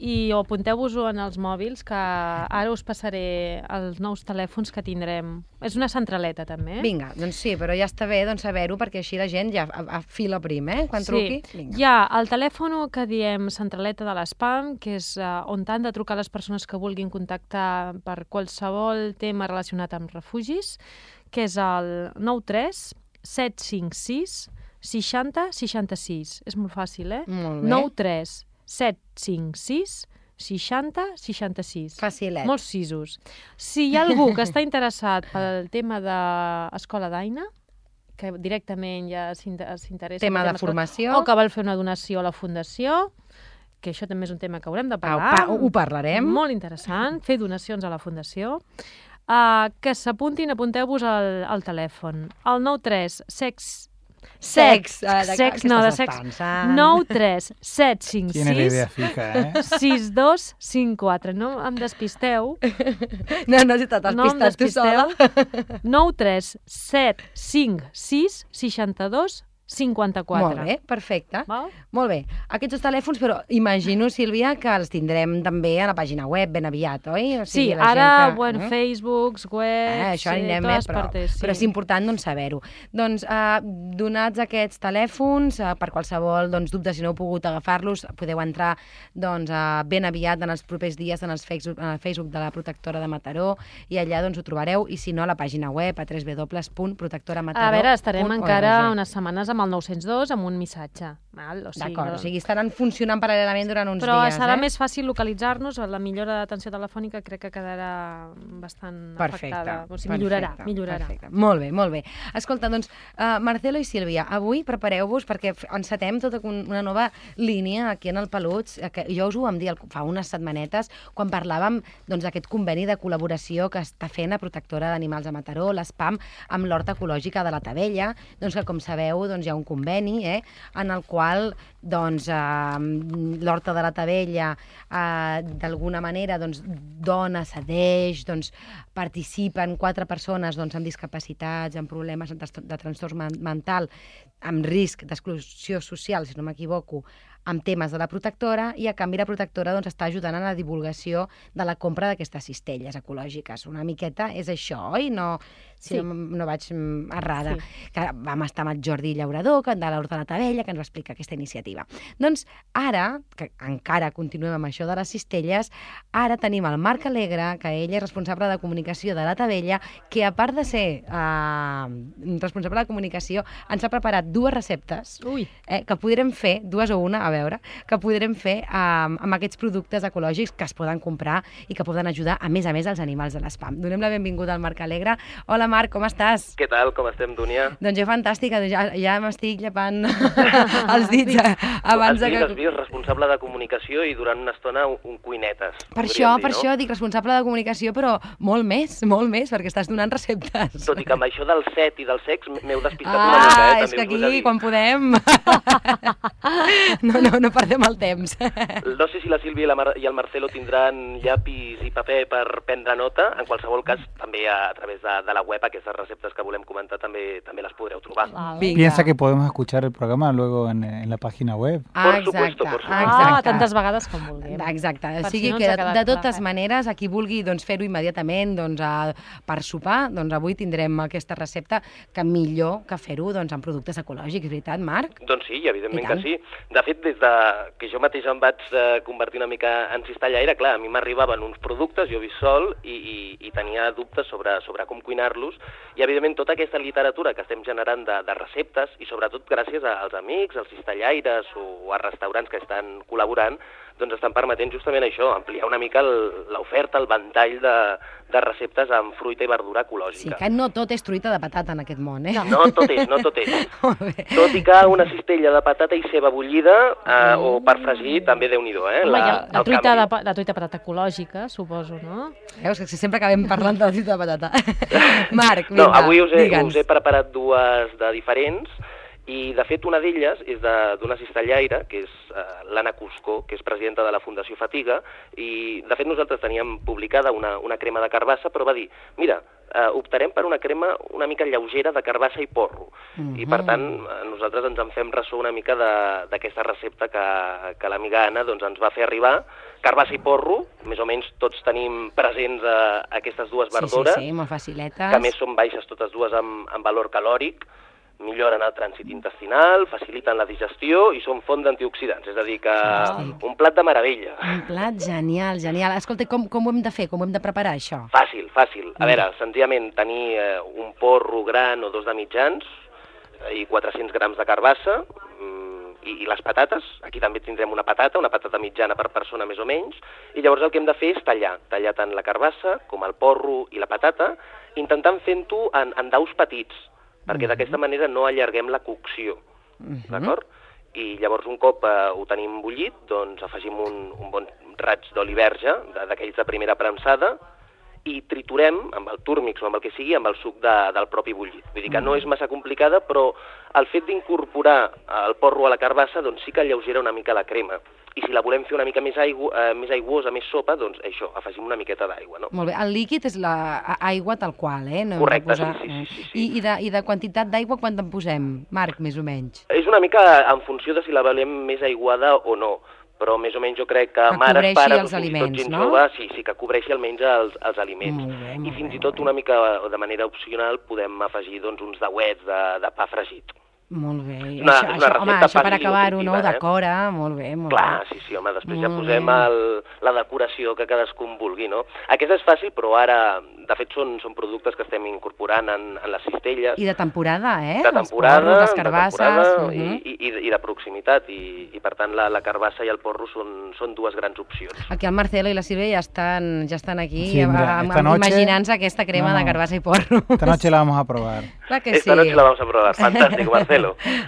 i o apunteu-vos-ho en els mòbils, que ara us passaré els nous telèfons que tindrem. És una centraleta, també. Eh? Vinga, doncs sí, però ja està bé doncs, saber-ho, perquè així la gent ja a, a fila prim, eh? Quan truqui. Sí, Vinga. hi ha el telèfon que diem centraleta de l'espam, que és uh, on han de trucar les persones que vulguin contactar per qualsevol tema relacionat amb refugis, que és el nou tres set cinc sis seixanta seixanta sis. És molt fàcil, eh? Molt bé. nou tres set cinc sis seixanta seixanta sis. Facilet. Molts sisos. Si hi ha algú que està interessat pel tema d'Escola d'Aina, que directament ja s'inter- s'interessa... Tema pel de escola, formació. o que vol fer una donació a la Fundació, que això també és un tema que haurem de Au, parlar. pa, ho parlarem. Molt interessant, fer donacions a la Fundació. Uh, que s'apuntin, apunteu-vos al, al telèfon. El nou tres sex... Sex. Ah, de- sex, què no, de estàs sex. pensant? nou tres set cinc Tiene la idea sis fija, ¿eh? sis dos cinc quatre. No em despisteu. No, no, si t'has No em despistat tu sola. despisteu. nou tres set cinc sis seixanta dos cinquanta quatre. Molt bé, perfecte. Val? Molt bé. Aquests dos telèfons, però imagino, Sílvia, que els tindrem també a la pàgina web ben aviat, oi? O Sí, la ara, gent que, bueno, eh? Facebooks, webs, Eh, això sí, anirem, totes eh, però, partes, sí. però és important doncs, saber-ho. Doncs, eh, donats aquests telèfons, eh, per qualsevol doncs, dubte, si no heu pogut agafar-los, podeu entrar doncs, eh, ben aviat en els propers dies en, els Facebook, en el Facebook de la Protectora de Mataró i allà doncs, ho trobareu, i si no, a la pàgina web a w w w punt protectora mataró A veure, estarem punt org. encara unes setmanes amb el nou-cents dos, amb un missatge. Val? O sigui, D'acord, no... o sigui, estaran funcionant paral·lelament durant uns Però dies, serà eh? més fàcil localitzar-nos, la millora d'atenció telefònica crec que quedarà bastant Perfecte, afectada. O sigui, perfecte, millorarà, millorarà. Perfecte. Molt bé, molt bé. Escolta, doncs, uh, Marcelo i Sílvia, avui prepareu-vos perquè f- encetem tota un- una nova línia aquí en el Peluts, eh, que jo us ho vam dir el- fa unes setmanetes, quan parlàvem doncs, d'aquest conveni de col·laboració que està fent la Protectora d'Animals de Mataró, l'ESPAM, amb l'Horta Ecològica de la Tavella, doncs que, com sabeu, doncs, hi ha un conveni eh, en el qual doncs, eh, l'Horta de la Tavella eh, d'alguna manera doncs, dona, cedeix, doncs, participen quatre persones doncs, amb discapacitats, amb problemes de, trastor- de trastorn men- mental, amb risc d'exclusió social, si no m'equivoco, amb temes de la protectora, i a canvi la protectora doncs, està ajudant a la divulgació de la compra d'aquestes cistelles ecològiques. Una miqueta és això, oi? No, si Sí. no, no vaig mm, errada. Sí. Que vam estar amb el Jordi Llaurador, que de l'Horta de la Tavella, que ens va explicar aquesta iniciativa. Doncs ara, que encara continuem amb això de les cistelles, ara tenim el Marc Alegre, que ell és responsable de comunicació de la Tavella, que a part de ser eh, responsable de comunicació, ens ha preparat dues receptes Ui, eh, que podrem fer, dues o una, a veure, que podrem fer eh, amb aquests productes ecològics que es poden comprar i que poden ajudar, a més a més, als animals de l'espam. Donem la benvinguda al Marc Alegre. Hola, Marc, com estàs? Què tal? Com estem, Dúnia? Doncs jo fantàstica, ja, ja m'estic llepant els dits eh, abans has de vist, que... has vist, responsable de comunicació i durant una estona un, un cuinetes. Per podríem això, dir, per no? això dic responsable de comunicació, però molt més, molt més, perquè estàs donant receptes. Tot i que amb això del set i del sex m'heu despistat una mica, Ah, eh? és que També us ho he de aquí, dir. quan podem... no, no, no perdem el temps. No sé si la Sílvia i, la Mar i el Marcelo tindran llapis i paper per prendre nota. En qualsevol cas, també a, a través de, de la web, aquestes receptes que volem comentar també també les podreu trobar. Vinga. Piensa que podemos escuchar el programa luego en, en la página web. Ah, Por exacte, supuesto, por supuesto. ah, exacte. tantes vegades com vulguem. Exacte, o Per sigui si no que ens ha de, quedat de totes clar, eh? maneres, a qui vulgui doncs, fer-ho immediatament doncs, a, per sopar, doncs avui tindrem aquesta recepta que millor que fer-ho doncs, amb productes ecològics, veritat, Marc? Doncs sí, evidentment I que tant. sí. De fet, des de que jo mateix em vaig eh, convertir una mica en cistellaire, clar, a mi m'arribaven uns productes, jo visc sol, i, i, i tenia dubtes sobre, sobre com cuinar-los, i evidentment tota aquesta literatura que estem generant de, de receptes, i sobretot gràcies als amics, als cistellaires o a restaurants que estan col·laborant, doncs estan permetent justament això, ampliar una mica el- l'oferta, el ventall de, de receptes amb fruita i verdura Sí, ecològica. que no tot és truita de patata en aquest món, eh? No tot és, no tot és. Molt bé. Tot i que una cistella de patata i ceba bullida, eh, o per fregir, també Déu-n'hi-do, eh? Home, la, la, el truita canvi. de, pa- la truita patata ecològica, suposo, no? Veus que sempre acabem parlant de la truita de patata. Marc, vinga, No, avui us he, digue'ns. us he preparat dues de diferents, I, de fet, una d'elles és d'una cistellaire, que és uh, l'Anna Cuscó, que és presidenta de la Fundació Fatiga, i, de fet, nosaltres teníem publicada una, una crema de carbassa, però va dir, mira, uh, optarem per una crema una mica lleugera de carbassa i porro. Uh-huh. I, per tant, nosaltres ens en fem ressò una mica d'aquesta recepta que, que l'amiga Anna doncs, ens va fer arribar. Carbassa i porro, més o menys tots tenim presents uh, aquestes dues verdures, sí, sí, sí, molt faciletes, que a més són baixes totes dues amb, amb valor calòric, milloren el trànsit intestinal, faciliten la digestió i són font d'antioxidants, és a dir, que Fàstic. un plat de meravella. Un plat genial, genial. Escolta, com, com ho hem de fer? Com ho hem de preparar, això? Fàcil, fàcil. A veure, senzillament tenir eh, un porro gran o dos de mitjans eh, i quatre-cents grams de carbassa mm, i, i les patates. Aquí també tindrem una patata, una patata mitjana per persona més o menys, i llavors el que hem de fer és tallar, tallar tant la carbassa com el porro i la patata, intentant fent-ho en, en daus petits, perquè d'aquesta manera no allarguem la cocció, uh-huh. d'acord? I llavors un cop eh, ho tenim bullit, doncs afegim un, un bon raig d'oli verge, d'aquells de primera premsada, i triturem amb el túrmix o amb el que sigui, amb el suc de, del propi bullit. Vull dir que no és massa complicada, però el fet d'incorporar el porro a la carbassa doncs sí que alleugera una mica la crema. I si la volem fer una mica més, aigua, eh, més aiguosa, més sopa, doncs això, afegim una miqueta d'aigua, no? Molt bé. El líquid és l'aigua tal qual, eh? No Correcte, posar... sí, sí, sí, sí. I, i, de, I de quantitat d'aigua quant en posem, Marc, més o menys? És una mica en funció de si la volem més aiguada o no, però més o menys jo crec que, que mares, pares o fins i tot gent no? jove, sí, sí, que cobreixi almenys els, els aliments. Molt bé, molt I fins bé, i tot una mica de manera opcional podem afegir doncs, uns dauets de, de pa fregit. Molt bé. Una, això, això, home, això per acabar-ho, no? Eh? Decora, molt bé, molt Clar, bé. sí, sí, home, després molt ja posem el, la decoració que cadascú en vulgui, no? Aquesta és fàcil, però ara, de fet, són, són productes que estem incorporant en, en les cistelles. I de temporada, eh? De temporada, porros, les carbasses, de temporada uh -huh. i, i, i de proximitat, i, i per tant la, la carbassa i el porro són, són dues grans opcions. Aquí el Marcelo i la Sílvia ja estan, ja estan aquí sí, mira, noche... imaginant-se aquesta crema no, no. de carbassa i porro. Esta noche la vamos a probar. Clar que esta sí. noche la vamos a probar, fantàstic, Marcelo.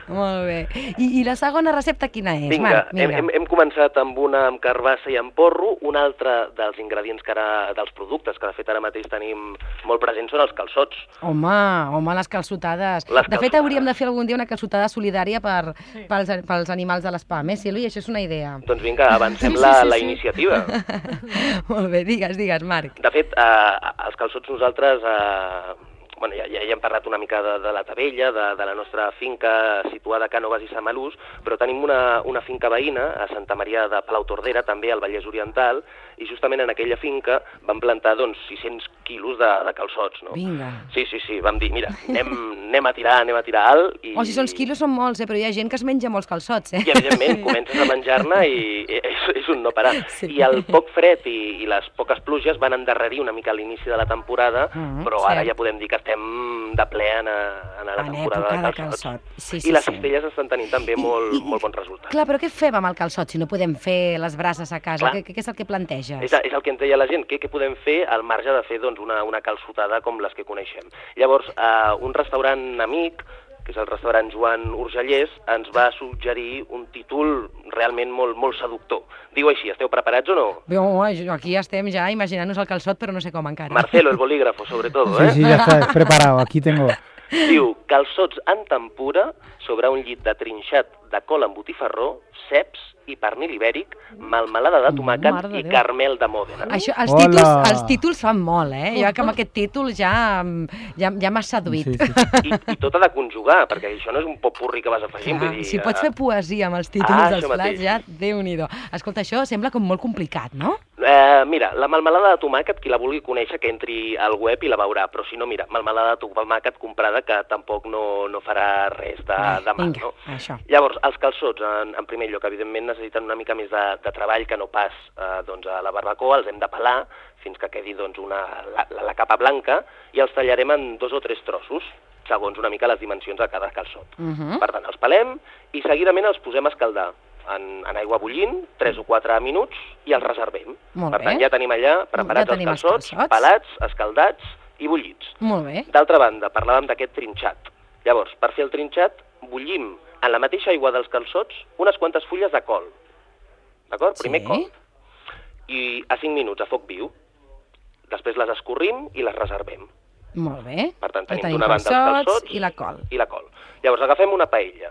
Molt bé. I, I la segona recepta quina és, vinga, Marc? Vinga, hem, hem començat amb una amb carbassa i amb porro. Un altre dels ingredients que ara, dels productes que de fet ara mateix tenim molt presents són els calçots. Home, home, les calçotades. Les de fet, hauríem de fer algun dia una calçotada solidària per, sí. pels, pels animals de l'espam, eh, Sílvia? Això és una idea. Doncs vinga, avancem sí, sí, la, sí, la sí. iniciativa. Molt bé, digues, digues, Marc. De fet, eh, els calçots nosaltres... Eh, Bueno, ja, ja, ja hem parlat una mica de, de la Tavella, de, de la nostra finca situada a Cànoves i Samalús, però tenim una, una finca veïna a Santa Maria de Palautordera, també al Vallès Oriental, i justament en aquella finca vam plantar doncs, sis-cents quilos de, de calçots. No? Vinga. Sí, sí, sí, vam dir, mira, anem, anem a tirar, anem a tirar alt. I... Oh, si són quilos són molts, eh? Però hi ha gent que es menja molts calçots, eh? I evidentment, comences a menjar-ne i és, és un no parar. Sí. I el poc fred i, i les poques pluges van endarrerir una mica l'inici de la temporada, mm, però ara cert. ja podem dir que estem de ple en, a, en la en temporada de calçots. De calçot. Sí, sí, I les sí. cistelles estan tenint també I, molt, i, molt bons resultats. Clar, però què fem amb el calçot si no podem fer les braces a casa? Què, què és el que planteges? És, és el que ens deia la gent, què, què podem fer al marge de fer doncs, una, una calçotada com les que coneixem. Llavors, eh, un restaurant amic, que és el restaurant Joan Urgellès, ens va suggerir un títol realment molt, molt seductor. Diu així, esteu preparats o no? Bé, home, aquí estem ja imaginant-nos el calçot, però no sé com encara. Marcelo, el bolígrafo, sobre todo, ¿eh? Sí, sí, ya está preparado, aquí tengo. Diu, calçots en tempura sobre un llit de trinxat de col amb botifarró, ceps i pernil ibèric, melmelada de tomàquet i carmel de Mòdena. Això, els, títols, els títols fan molt, eh? Jo que amb aquest títol ja, ja, ja m'has seduït. Sí, sí. I, I tot ha de conjugar, perquè això no és un popurri que vas afegint. Clar, vull dir, si pots fer poesia amb els títols ah, dels plats, ja Déu-n'hi-do. Escolta, això sembla com molt complicat, no? Eh, mira, la melmelada de tomàquet, qui la vulgui conèixer, que entri al web i la veurà, però si no, mira, melmelada de tomàquet comprada que tampoc no, no farà res de, de mal, vinga, no? Això. Llavors, els calçots, en, en primer lloc, evidentment necessiten una mica més de, de treball que no pas eh, doncs, a la barbacoa, els hem de pelar fins que quedi doncs, una, la, la, la capa blanca i els tallarem en dos o tres trossos, segons una mica les dimensions de cada calçot. Uh -huh. Per tant, els pelem i seguidament els posem a escaldar en, en aigua bullint, tres o quatre minuts, i els reservem. Molt per tant, bé. ja tenim allà preparats ja tenim els calçots, els calçots, pelats, escaldats i bullits. Molt bé. D'altra banda, parlàvem d'aquest trinxat. Llavors, per fer el trinxat, bullim en la mateixa aigua dels calçots unes quantes fulles de col. D'acord? Primer sí. col. I a cinc minuts a foc viu. Després les escorrim i les reservem. Molt bé. Per tant, tenim, tenim d'una banda els calçots i la col. I la col. Llavors, agafem una paella.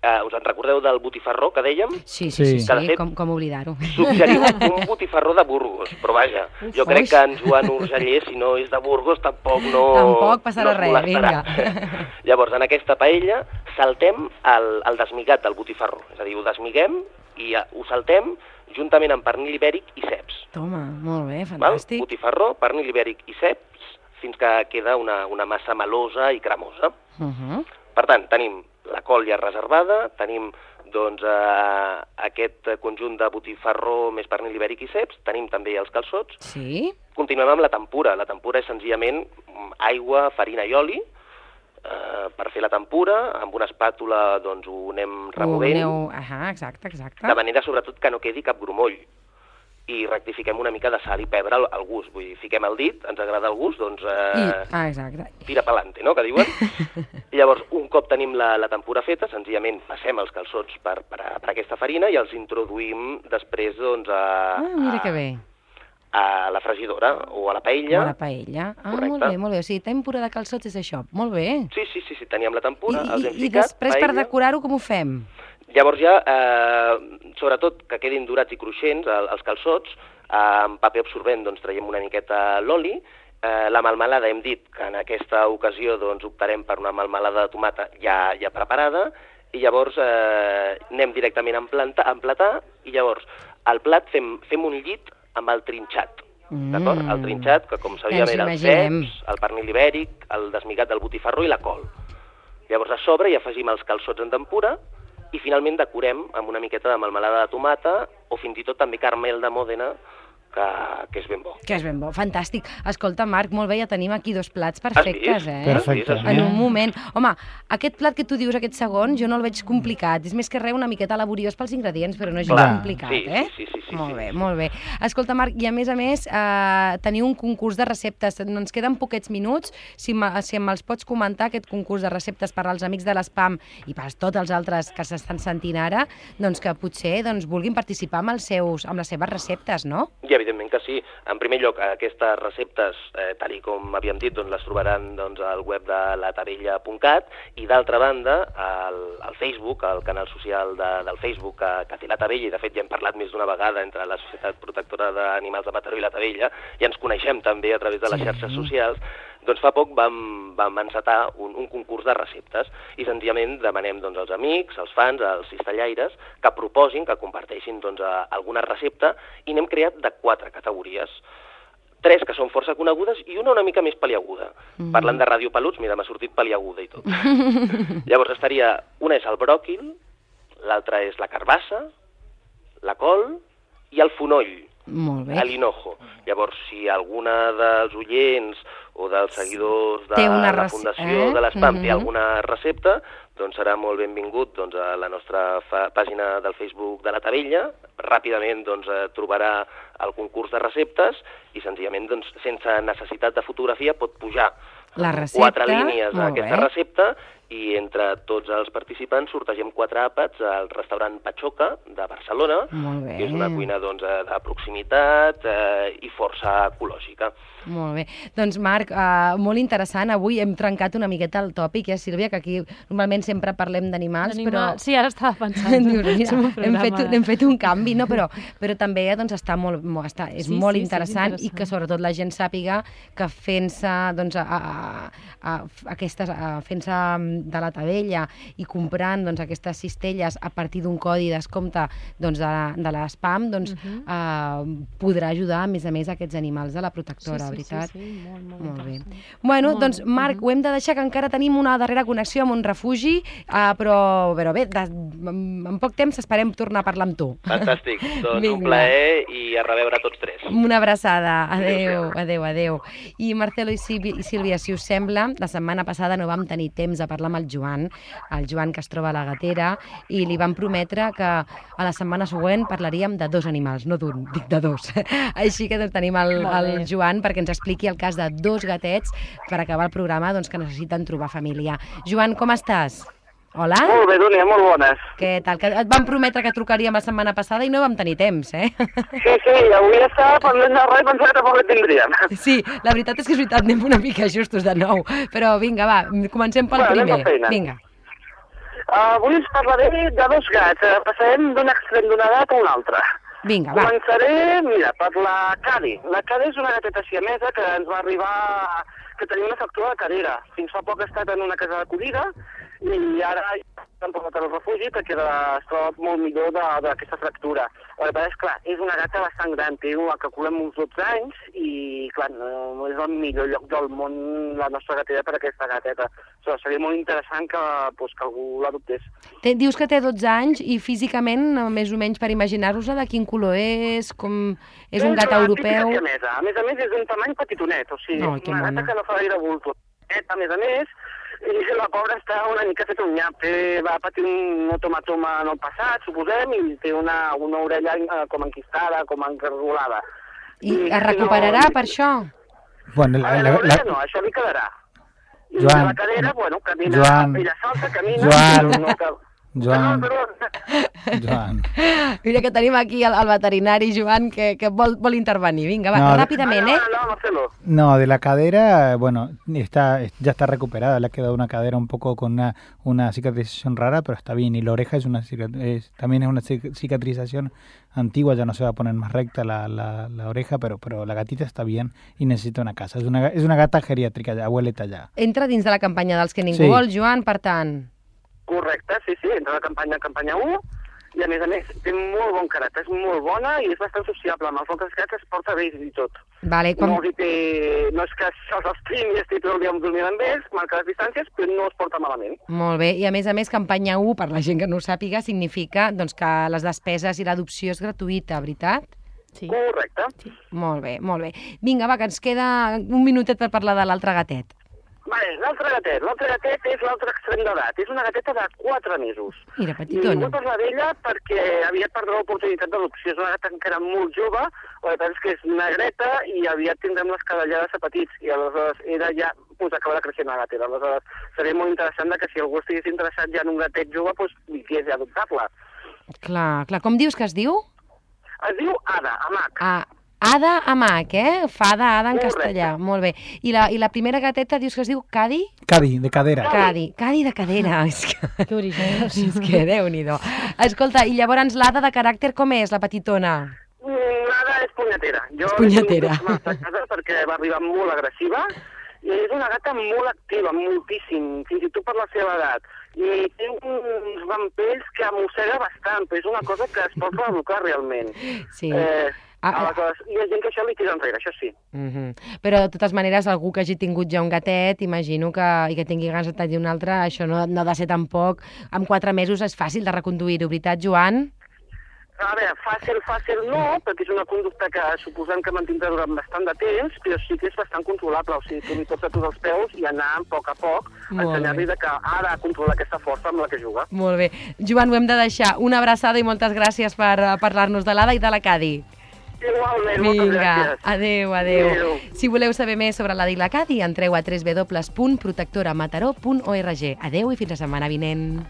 Uh, us en recordeu del botifarró que dèiem? Sí, sí, sí, Sí. sí, Que, de fet, com, com oblidar-ho. Suggerim un botifarró de Burgos, però vaja, jo crec que en Joan Urgeller, si no és de Burgos, tampoc no... Tampoc passarà no es res, molestarà. vinga. Llavors, en aquesta paella saltem el, el desmigat del botifarró, és a dir, ho desmiguem i uh, ho saltem juntament amb pernil ibèric i ceps. Toma, molt bé, Val? fantàstic. Botifarró, pernil ibèric i ceps, fins que queda una, una massa melosa i cremosa. Uh -huh. Per tant, tenim la col ja reservada, tenim doncs, eh, aquest conjunt de botifarró més pernil ibèric i ceps, tenim també els calçots. Sí? Continuem amb la tempura. La tempura és senzillament aigua, farina i oli. Eh, per fer la tempura, amb una espàtula doncs, ho anem removent, Ho aneu... Ah, exacte, exacte. de manera sobretot que no quedi cap grumoll. I rectifiquem una mica de sal i pebre al, al gust. Vull dir, fiquem el dit, ens agrada el gust, doncs eh, I... Ah, exacte. tira pa'lante, no?, que diuen. I llavors, un cop tenim la, la tempura feta, senzillament passem els calçots per, per, per aquesta farina i els introduïm després doncs, a, Ah, mira a, que bé. a la fregidora o a la paella. O a la paella. Ah, Correcte. molt bé, molt bé. O sigui, tempura de calçots és això. Molt bé. Sí, sí, sí, sí, teníem la tempura, I, els hem i, I ficat, després, per paella. decorar-ho, com ho fem? Llavors ja, eh, sobretot que quedin dorats i cruixents el, els calçots, eh, amb paper absorbent doncs traiem una miqueta l'oli. Eh, la melmelada hem dit que en aquesta ocasió doncs optarem per una melmelada de tomata ja, ja preparada i llavors eh, anem directament a emplantar, a emplatar i llavors al plat fem, fem un llit amb el trinxat. Mm. D'acord? El trinxat, que com sabíem Ens era el imaginem. ceps, el pernil ibèric, el desmigat del botifarró i la col. Llavors a sobre hi afegim els calçots en tempura i finalment decorem amb una miqueta de melmelada de tomata o fins i tot també caramel de Mòdena, que, que és ben bo. Que és ben bo, fantàstic. Escolta, Marc, molt bé, ja tenim aquí dos plats perfectes, eh? Perfecte. En un moment. Home, aquest plat que tu dius, aquest segon, jo no el veig complicat. És més que res una miqueta laboriós pels ingredients, però no és Clar, complicat, sí, eh? sí, sí, sí, sí, molt sí, bé, sí. molt bé. Escolta, Marc, i a més a més, eh, teniu un concurs de receptes. Ens queden poquets minuts. Si, si me'ls pots comentar, aquest concurs de receptes per als amics de l'Espam i per tots els altres que s'estan sentint ara, doncs que potser doncs, vulguin participar amb, els seus, amb les seves receptes, no? I evidentment que sí. En primer lloc, aquestes receptes, eh, tal i com havíem dit, doncs, les trobaran doncs, al web de la tabella punt cat i d'altra banda, al, al Facebook, al canal social de, del Facebook que, que té la Tabella, i de fet ja hem parlat més d'una vegada entre la Societat Protectora d'Animals de Mataró i la Tabella, i ens coneixem també a través de les Sí. xarxes socials, doncs fa poc vam, vam encetar un, un concurs de receptes i senzillament demanem doncs, als amics, als fans, als cistellaires, que proposin, que comparteixin doncs, a, alguna recepta i n'hem creat de quatre categories. Tres que són força conegudes i una una mica més paliaguda. Mm. Parlant de Ràdio Peluts, mira, m'ha sortit paliaguda i tot. Llavors estaria, una és el bròquil, l'altra és la carbassa, la col i el fonoll. Molt bé. A l'hinojo. Llavors, si alguna dels oients o dels seguidors de Té una la rece- Fundació eh? de l'Espam té Mhm. alguna recepta, doncs serà molt benvingut doncs, a la nostra fa pàgina del Facebook de la Tabella. Ràpidament doncs, eh, trobarà el concurs de receptes i senzillament, doncs, sense necessitat de fotografia, pot pujar La amb recepta, quatre línies molt aquesta bé. recepta i entre tots els participants sortegem quatre àpats al restaurant Pachoca de Barcelona, Molt bé. que és una cuina doncs, eh, de proximitat eh, i força ecològica. Molt bé. Doncs, Marc, uh, molt interessant. Avui hem trencat una miqueta el tòpic, eh, Sílvia, que aquí normalment sempre parlem d'animals, però... Sí, ara estava pensant. Dius, mira, Som un hem, programa fet, de- hem fet un canvi, no? però, però també doncs, està molt, molt, està, és Sí, molt sí, sí, és interessant, i interessant. que sobretot la gent sàpiga que fent-se doncs, a, a, a, aquestes, a, fent-se de la Tabella i comprant doncs, aquestes cistelles a partir d'un codi de descompte doncs, de, de l'Espam, doncs, uh -huh. uh, podrà ajudar a més a més aquests animals de la protectora, sí, sí, veritat? Sí, sí, molt, molt, Molt bé. interessant. Bueno, Molt doncs, bé. Marc, Mhm. ho hem de deixar, que encara tenim una darrera connexió amb un refugi, uh, però, però bé, de, en, en poc temps esperem tornar a parlar amb tu. Fantàstic. Doncs Vinga. un plaer i a reveure tots tres. Una abraçada. Adéu, Adéu-siau. adéu, adéu. I Marcelo i Sílvia, i Sílvia, si us sembla, la setmana passada no vam tenir temps de parlar amb el Joan, el Joan que es troba a la Gatera, i li vam prometre que a la setmana següent parlaríem de dos animals, no d'un, dic de dos. Així que doncs, tenim el, Molt el bé. Joan perquè ens expliqui el cas de dos gatets per acabar el programa doncs, que necessiten trobar família. Joan, com estàs? Hola. Molt bé, Dúnia, molt bones. Què tal? Que et vam prometre que trucaríem la setmana passada i no vam tenir temps, eh? Sí, sí, avui estava parlant de res i pensava que tampoc el tindríem. Sí, la veritat és que és veritat, anem una mica justos de nou. Però vinga, va, comencem pel Bueno, anem primer. per feina. Vinga. Uh, avui us parlaré de dos gats. Uh, passarem d'un extrem d'una edat a un altre. Vinga, va. Començaré, mira, per la Cadi. La Cadi és una gateta siamesa que ens va arribar, que tenia una fractura de cadera. Fins fa poc ha estat en una casa d'acollida i ara s'han portat al refugi perquè es troba molt millor d'aquesta fractura. La veritat és, clar, és una gata bastant gran, té una que calculem uns dotze anys i, clar, no és el millor lloc del món la nostra gatera per aquesta gateta. O sigui, seria molt interessant que, pues, que algú l'adoptés. Dius que té dotze anys i físicament, més o menys per imaginar-vos-la, de quin color és, com és un gat europeu... A més a més, és d'un tamany petitonet, o sigui, oh, una gata que no fa gaire bulto. A més a més, i la pobra està una mica feta un nyap, va patir un otomatoma en el passat, suposem, i té una, una orella com enquistada, com encargolada. I, I es recuperarà no... per això? Bueno, la, la, la, la... no, això li quedarà. I Joan, la cadera, bueno, camina, Joan, ella salta, camina... Joan, no cal... Joan, perdó, perdó. Joan. Mira que tenim aquí el, el veterinari, Joan, que, que vol, vol intervenir. Vinga, va, no, ràpidament, no, ¿eh? No, no, Marcelo. No, de la cadera, bueno, está, ya está recuperada. Le ha quedado una cadera un poco con una, una cicatrización rara, pero está bien. Y la oreja es una es, también es una cicatrización antigua, ya no se va a poner más recta la, la, la oreja, pero, pero la gatita está bien y necesita una casa. Es una, es una gata geriàtrica, ja, abueleta ja. Entra dins de la campanya dels que ningú Sí. vol, Joan, per tant... Correcte, sí, sí, entra a la campanya campanya u i a més a més té molt bon caràcter, és molt bona i és bastant sociable, amb els altres gats es porta bé i tot. Vale, quan... no, té... no és que se'ls estimi i estigui tot el dia dormint amb ells, marca les distàncies, però no es porta malament. Molt bé, i a més a més campanya u, per la gent que no ho sàpiga, significa doncs, que les despeses i l'adopció és gratuïta, veritat? Sí. Correcte. Sí. Molt bé, molt bé. Vinga, va, que ens queda un minutet per parlar de l'altre gatet. Vale, l'altre gatet. L'altre gatet és l'altre extrem d'edat. És una gateta de quatre mesos. Mira, I petitona. vull parlar d'ella perquè aviat perdrà l'oportunitat d'adopció. És una gata encara molt jove, la veritat és que és negreta i aviat tindrem les cadellades a petits. I aleshores era ja, pues, acabarà creixent la gatera. Aleshores seria molt interessant que si algú estigués interessat ja en un gatet jove, pues, vingués a adoptar-la. Clar, clar. Com dius que es diu? Es diu Ada, Amac. Ah, Ada Amac, eh? Fada, Ada en Correcte. castellà. Molt bé. I la, I la primera gateta dius que es diu Cadi? Cadi, de cadera. Cadi. Cadi de cadera. És que, Que originals. és que Déu-n'hi-do. Escolta, i llavors l'Ada de caràcter com és, la petitona? L'Ada és punyetera. Jo És punyetera. l'he tingut a casa perquè va arribar molt agressiva i és una gata molt activa, moltíssim, fins i tot per la seva edat. I té uns rampells que mossega bastant, però és una cosa que es pot reeducar realment. Sí. Eh, Ah, ah. aleshores, hi ha gent que això li tira enrere, això sí. Uh-huh. Però, de totes maneres, algú que hagi tingut ja un gatet, imagino que, i que tingui ganes de tenir un altre, això no, no ha de ser tampoc... En quatre mesos és fàcil de reconduir-ho, veritat, Joan? A veure, fàcil, fàcil no, perquè és una conducta que suposem que mantindrà durant bastant de temps, però sí que és bastant controlable, o sigui, tu li pots aturar els peus i anar a poc a poc, ensenyar-li que ha de controlar aquesta força amb la que juga. Molt bé. Joan, ho hem de deixar. Una abraçada i moltes gràcies per uh, parlar-nos de l'Ada i de la Cadi. Igualment, moltes Vinga, gràcies. adéu, adéu, Adéu. Si voleu saber més sobre l'Ada i la Cadi, entreu a w w w punt protectora mataró punt org. Adéu i fins la setmana vinent.